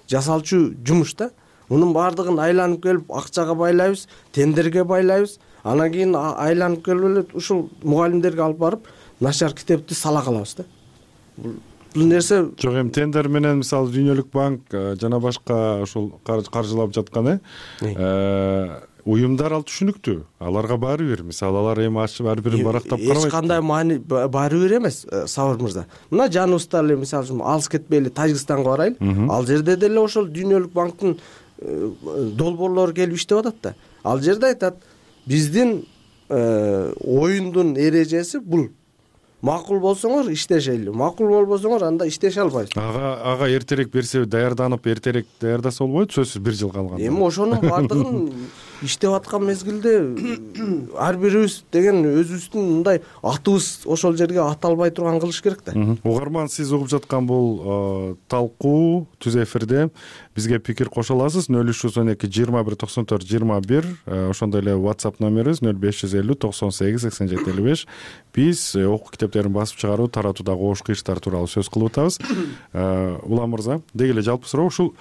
жасалчу жумуш да. Мунун баардыгын айланып келип акчага байлайбыз, тендерге байлайбыз. Анан кийин айланып келип эле ушул мугалимдерге алып барып начар китепти сала калабыз да. Бул нерсе жок, эми тендер менен мисалы Дүйнөлүк банк жана башка ушул каржылап жаткан уюмдар ал түшүнүктүү. Аларга баары бир, мисалы алар эми ачып ар бирин барактап карабайт. Эч кандай маани баары бир эмес, Сабыр мырза. Мына жаныбызда эле мисалы үчүн алыс кетпейли Тажикстанга барайлы. Ал жерде деле ошол Дүйнөлүк банктын долбоорлору келип иштеп атат да. Ал жерде айтат, биздин оюндун эрежеси бул. Макул болсоңор иштешели, макул болбосоңор анда иштеше албайсыз. Ага эртерээк берсе, даярданып эртерээк даярдаса болбойт, сөзсүз 1 жыл калганда. Эми ошонун баардыгын иштеп аткан мезгилде ар бирибиз деген өзүбүздүн мындай атыбыз ошол жерге аталбай турган кылыш керек да. Угарман, сиз угуп жаткан бул талкуу түз эфирде. Бизге пикир кошо аласыз. 0312 21 94 21. Ошондой эле WhatsApp номерибиз 0550 98 87 55. Биз окуу китептерин басып чыгаруу, таратуудагы ош кыйыштар тууралуу сөз кылып атабыз. Улам мырза, деги эле жалпы суроо ушул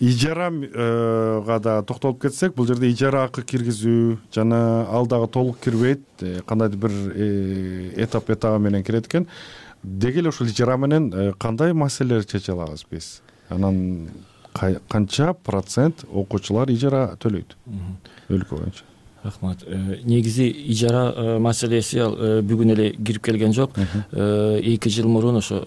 ижарага да токтолуп кетсек, бул жерде ижара акы киргизүү жана ал дагы толук кирбейт, кандайдыр бир этап менен кирет экен. Деги эле ушул ижара менен кандай маселелерди чече алабыз биз? Анан канча процент окуучулар ижара төлөйт өлкө боюнча? Рахмат. Негизи ижара маселеси ал бүгүн эле кирип келген жок. 2 жыл мурун ошо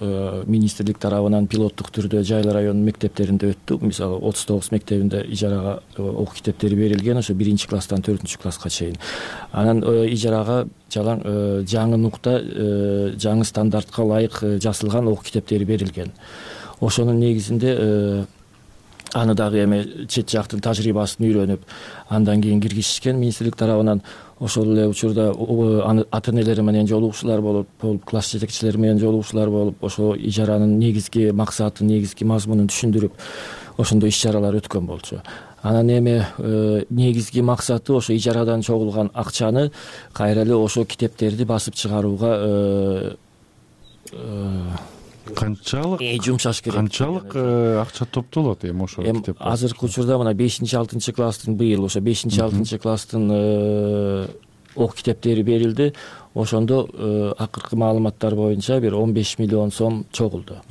министрлик тарабынан пилоттук түрдө жайлы район мектептеринде өттү. Мисалы 39 мектебинде ижарага окуу китептери берилген, ошо 1-класстан 4-класска чейин. Анан ижарага жаңы нукта, жаңы стандартка ылайык жасалган окуу китептери берилген. Ошонун негизинде аны дагы эми чет жактын тажрыйбасын үйрөнүп, андан кийин киргизишкен министрлик тарабынан. Ошол эле учурда ата-энелери менен жолугушуулар болуп, класс жетекчилери менен жолугушуулар болуп, ошо ижаранын негизги максатын, негизги мазмунун түшүндүрүп, ошондой иш-чаралар өткөн болчу. Анан эми негизги максаты ошо ижарадан чогулган акчаны кайра эле ошо китептерди басып чыгарууга канчалык жумшаш керек. Канчалык акча топтолот эми ошо китеп? Азыркы учурда мына 5-6 класстын быйыл ошо 5-6 класстын окуу китептери берилди. Ошондо акыркы маалыматтар боюнча бир 15 миллион сом чогулду.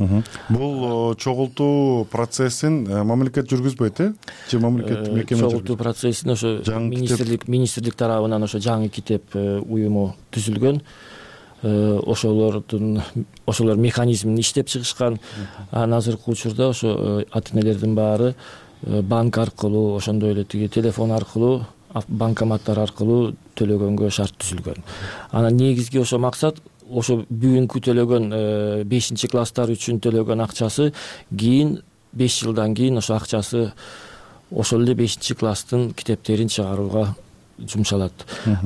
Бул чогултуу процессин мамлекет жүргүзбөйт, же мамлекет мекеме чогултуу процессин ошо министрлик тарабынан ошо жаңы китеп уюму түзүлгөн. Ошолор механизмин иштеп чыгышкан. Азыркы учурда ошо ата-энелердин баары банк аркылуу, ошондой эле телефон аркылуу, банкоматтар аркылуу төлөгөнгө шарт түзүлгөн. Анан негизги ошо максат, ошо бүгүнкү төлөгөн 5-класстар үчүн төлөгөн акчасы кийин 5 жылдан кийин ошо акчасы ошол эле 5-класстын китептерин чыгарууга жумшалат.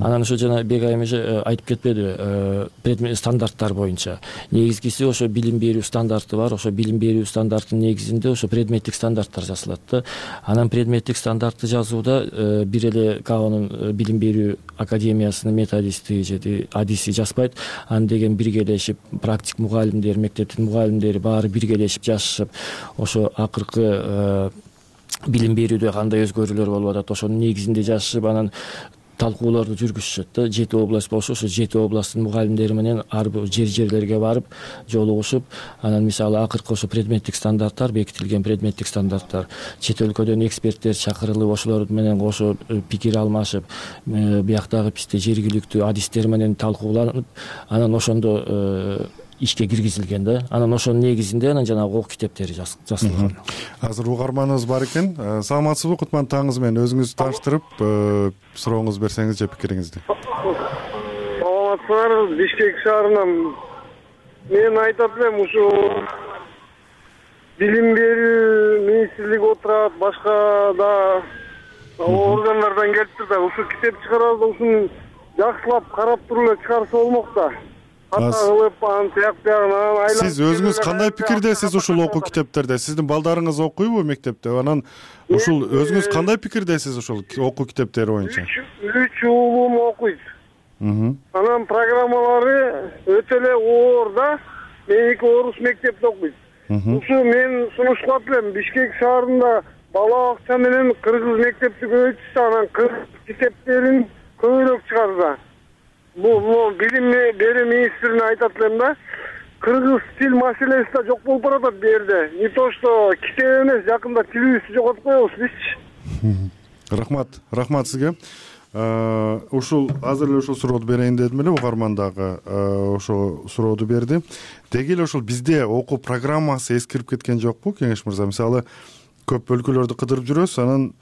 Анан ошо жана Бек айым айтып кетпеди, стандарттар боюнча. Негизгиси ошо билим берүү стандарты бар. Ошо билим берүү стандартынын негизинде ошо предметтик стандарттар жазылат да. Анан предметтик стандартты жазууда бир эле КАОнун билим берүү академиясынын методисти же адиси жазбайт. Аны деген биргелешип, практик мугалимдер, мектептин мугалимдери баары биргелешип жазышып, ошо акыркы билим берүүдө кандай өзгөрүүлөр болуп атат, ошонун негизинде жашышып, анан талкууларды жүргүзүшөт да. 7 область болсо, ошо 7 областтын мугалимдери менен ар бир жерлерге барып жолугушуп, анан мисалы акыркы ошо предметтик стандарттар, бекитилген предметтик стандарттар, чет өлкөдөн эксперттер чакырылып, ошолор менен кошо пикир алмашып, бияктагы бизде жергиликтүү адистер менен талкууланып, анан ошондо ишке киргизилген да. Анан ошонун негизинде анан жанагы окуу китептери жазылган. Азыр угарманыбыз бар экен. Саламатсызбы, кутман таңыңыз менен өзүңүздү тааныштырып, сурооңузду берсеңиз же пикириңизди. Саламатсыздар, Бишкек шаарынан. Мен айтат элем, ушу билим берүү министрлиги отурат, башка да органдардан келиптир да, ушу китеп чыгарабыз, ушуну жакшылап карап туруп эле чыгарса болмок да. Сиз өзүңүз кандай пикирдесиз ушул окуу китептерде? Сиздин балдарыңыз окуйбу мектепте? Анан ушул өзүңүз кандай пикирдесиз ушул окуу китептери боюнча? 3 уулум окуйт. Анан программалары өтө эле оор да. Меники орус мектепте окуйт. Ушу мен сунуш кылат элем, Бишкек шаарында бала бакча менен кыргыз мектепти көбөйтүшсө, анан кыргыз китептерин көбүрөөк чыгарса. Бул билим берүү министрине айтат элем да, кыргыз тил маселеси да жок болуп баратат бу жерде. Не то что китеп эмес, жакында тилибизди жоготуп коебуз бизчи. Рахмат сизге. Ушул азыр эле ушул сурооду берейин дедим эле, угарман дагы ошо сурооду берди. Деги эле ошол бизде окуу программасы эскирип кеткен жокпу, Кеңеш мырза? Мисалы, көп өлкөлөрдү кыдырып жүрөсүз, анан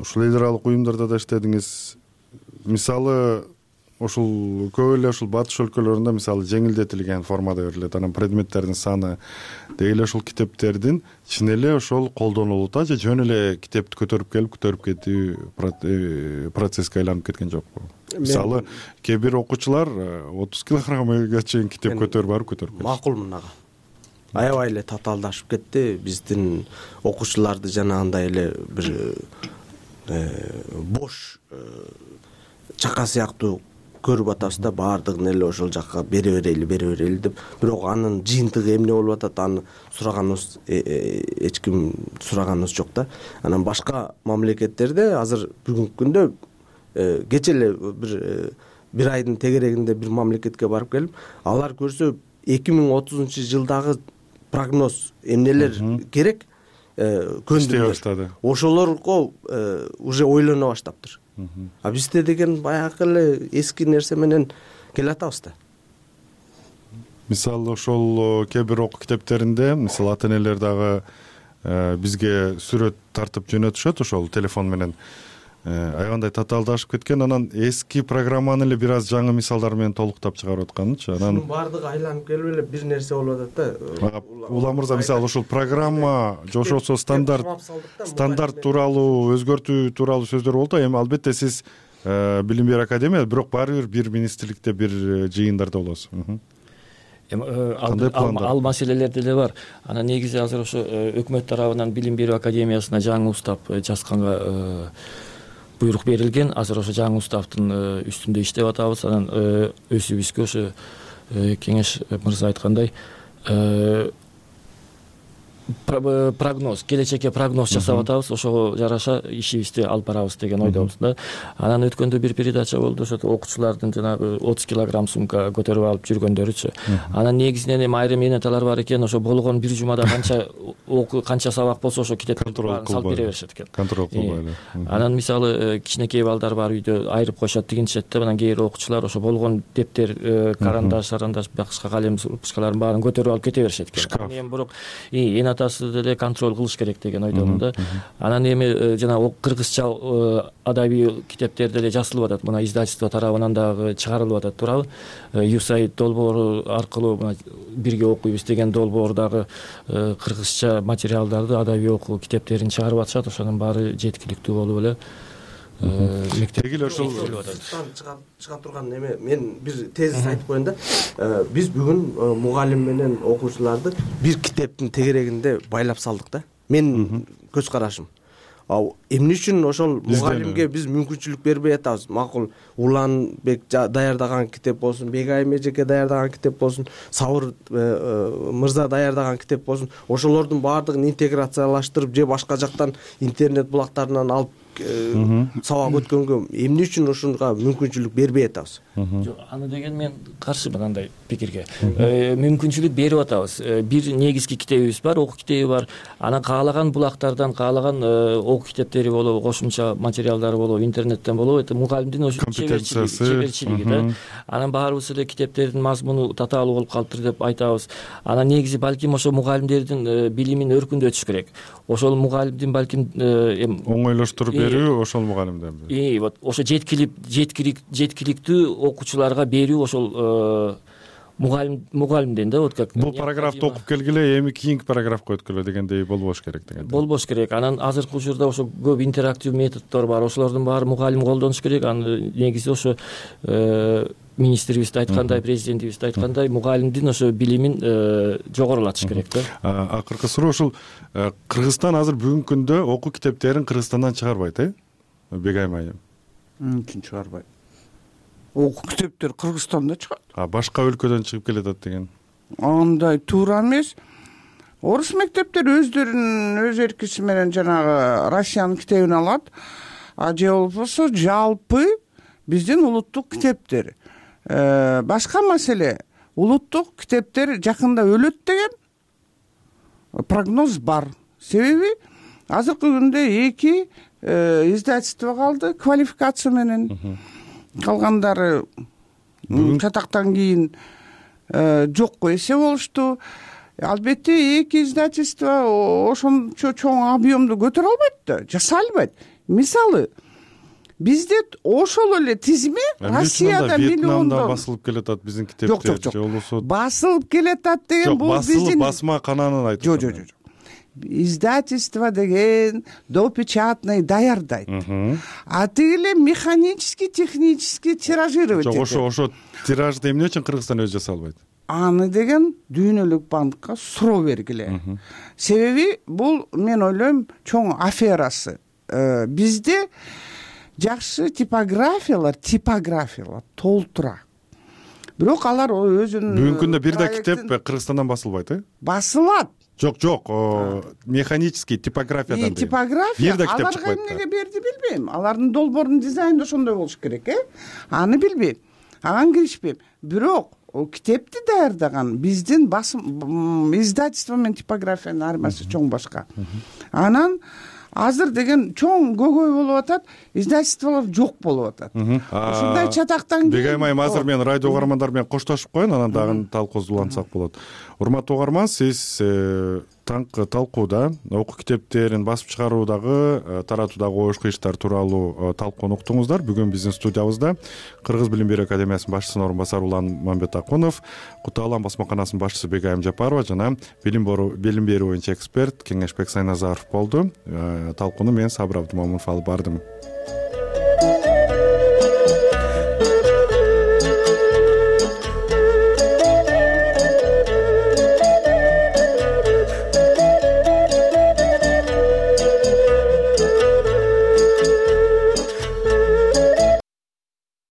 ушул эл аралык уюмдарда да иштедиңиз. Мисалы, ошол көп эле ошол батыш өлкөлөрүндө мисалы жеңилдетилген формада берилет. Анан предметтердин саны деги эле ошол китептердин чын эле ошол колдонулуп, же жөн эле китепти көтөрүп кетүү процесске айланып кеткен жокпу? Мисалы, кээ бир окуучулар 30 килограммга чейин китеп көтөрүп кетти. Макулмун ага. Аябай эле татаалдашып кетти. Биздин окуучуларды жанагындай эле бир бош чака сыяктуу көрүп атабыз да, баардыгын эле ошол жакка бере берели деп. Бирок анын жыйынтыгы эмне болуп атат, аны сураганыбыз эч ким сураганыбыз жок да. Анан башка мамлекеттерде азыр бүгүнкү күндө кече эле бир айдын тегерегинде бир мамлекетке барып келип, алар көрсө 2030 жылдагы прогноз эмнелер керек, иштей баштады. Ошолорго уже ойлоно баштаптыр. А бизде деген баягы эле эски нерсе менен келатабыз да. Мисалы ошол кээ бир окуу китептеринде мисалы ата энелер дагы бизге сүрөт тартып жөнөтүшөт ошол телефон менен. Аябандай татаалдашып кеткен, анан эски программаны эле бир аз жаңы мисалдар менен толуктап чыгарып атканчы. Анан баардыгы айланып келип эле бир нерсе болуп атат да. Улам мырза, мисалы ошол программа же ошол стандарт тууралуу өзгөртүү тууралуу сөздөр болду. Эми албетте сиз билим берүү академия, бирок баары бир министрликте бир жыйындарда болосуз. Ал маселелер деле бар. Анан негизи азыр ошо өкмөт тарабынан билим берүү академиясына жаңы устав жазганга буйрук берилген. Азыр ошо жаңы уставдын үстүндө иштеп атабыз. Анан өзүбүзгө ошо кеңеш мырза айткандай прогноз, келечекке прогноз жасап атабыз. Ошого жараша ишибизди алып барабыз деген ойдобуз да. Анан өткөндө бир передача болду, ошо окуучулардын жанагы 30 килограмм сумка көтөрүп алып жүргөндөрүчү. Анан негизинен эми айрым энеталар бар экен, ошо болгон бир жумада канча сабак болсо ошо китептерди салып бере беришет экен. Контроль кылбайды. Анан мисалы кичинекей балдар бар үйдө айрып коюшат дегенчет да. Анан кээ бир окуучулар ошо болгон дептер, карандаш, башка калем ручкаларын баарын көтөрүп алып кете беришет экен. Эми бирок атасы деле контроль кылыш керек деген ойдомун да. Анан эми жана кыргызча адабий китептер деле жазылып атат. Мына издательство тарабынан дагы чыгарылып атат, туурабы? USAID долбоору аркылуу бирге окуйбуз деген долбоор дагы кыргызча материалдарды, адабий окуу китептерин чыгарып атышат. Ошонун баары жеткиликтүү болуп эле мектептеги эле ошол чыга турган эме мен бир тезис айтып коеюн да. Биз бүгүн мугалим менен окуучуларды бир китептин тегерегинде байлап салдык да. Мен көз карашым. Эмне үчүн ошол мугалимге биз мүмкүнчүлүк бербей атабыз? Макул Уланбек даярдаган китеп болсун, Бегайым эжеке даярдаган китеп болсун, Сабыр мырза даярдаган китеп болсун, ошолордун баардыгын интеграциялаштырып же башка жактан интернет булактарынан алып сабак өткөнгө эмне үчүн ошонго мүмкүнчүлүк бербей атабыз? Жок, аны деген мен каршымын андай пикирге. Мүмкүнчүлүк берип атабыз. Бир негизги китебибиз бар, окуу китеби бар. Анан каалаган булактардан, каалаган окуу китептери болобу, кошумча материалдары болобу, интернеттен болобу, это мугалимдин ошо чеберчилиги да. Анан баарыбыз эле китептердин мазмуну татаалуу болуп калыптыр деп айтабыз. Анан негизи балким ошо мугалимдердин билимин өркүндөтүш керек. Ошол мугалимдин балким оңойлоштуруп берүү ошол мугалимден. Вот ошо жеткиликтүү окуучуларга берүү ошол мугалимден да. Вот как бул параграфты окуп келгиле, эми кийинки параграфка өткүлө дегендей болбош керек деген. Болбош керек. Анан азыркы учурда ошо көп интерактив методдор бар. Ошолордун баары мугалим колдонуш керек. Анын негизи ошо министрибиз да айткандай, президентибиз да айткандай, мугалимдин ошо билимин жогорулатыш керек да. Акыркы суроо ушул Кыргызстан азыр бүгүнкү күндө окуу китептерин Кыргызстандан чыгарбайт, Бегайым айым? Мүмкүн чыгарбайт. Окуу китептер Кыргызстанда чыгат. Башка өлкөдөн чыгып келатат деген. Андай туура эмес. Орус мектептери өздөрүнүн өз эркиси менен жанагы Россиянын китебин алат. Же болбосо жалпы биздин улуттук китептер. Башка маселе, улуттук китептер жакында өлөт деген прогноз бар. Себеби азыркы күндө 2 издательство калды квалификация менен. Калгандары чатактан кийин жокко эсе болушту. Албетте 2 издательство ошончо чоң объемду көтөрө албайт да, жасай албайт. Мисалы, бизде ошол эле тизме Россияда миллиондон басылып келатат биздин китептер. Жок. Басылып келатат деген бул биздин басма кананын айтып. Жок. Издательство деген допечатный даярдайт. А тигиле механический, технический тиражировать этет. Жок, ошо тиражды эмне үчүн Кыргызстан өзү жасай албайт? Аны деген дүйнөлүк банкка суроо бергиле. Себеби бул мен ойлойм чоң аферасы. Бизде жакшы типографиялар толтура. Бирок алар өзүнүн бүгүнкү күндө бир да китеп Кыргызстандан басылбайт, Басылат. Жок, механический типографиядан. Типография аларга эмнеге берди билбейм. Алардын долбоорунун дизайны ошондой болуш керек, Аны билбейм. Ага киришпейм. Бирок китепти даярдаган биздин басым издательство менен типографиянын айырмасы чоң башка. Анан азыр деген чоң көйгөй болуп атат, издательстволор жок болуп атат. Ушундай чатактан кийин Бегайым айым, азыр мен радио угармандар менен коштошуп коеюн, анан дагы талкуубузду улантсак болот. Урматтуу угарман, сиз таңкы талкууда окуу китептерин басып чыгаруудагы, таратуудагы ош кыйыштар тууралуу талкууну уктуңуздар. Бүгүн биздин студиябызда Кыргыз билим берүү академиясынын башчысынын орун басары Улан Мамбетакунов, Кута Алам басмаканасынын башчысы Бегайым Жапарова жана билим берүү боюнча эксперт Кеңешбек Сайназаров болду. Талкууну мен Сабыр Абдымомунов алып бардым.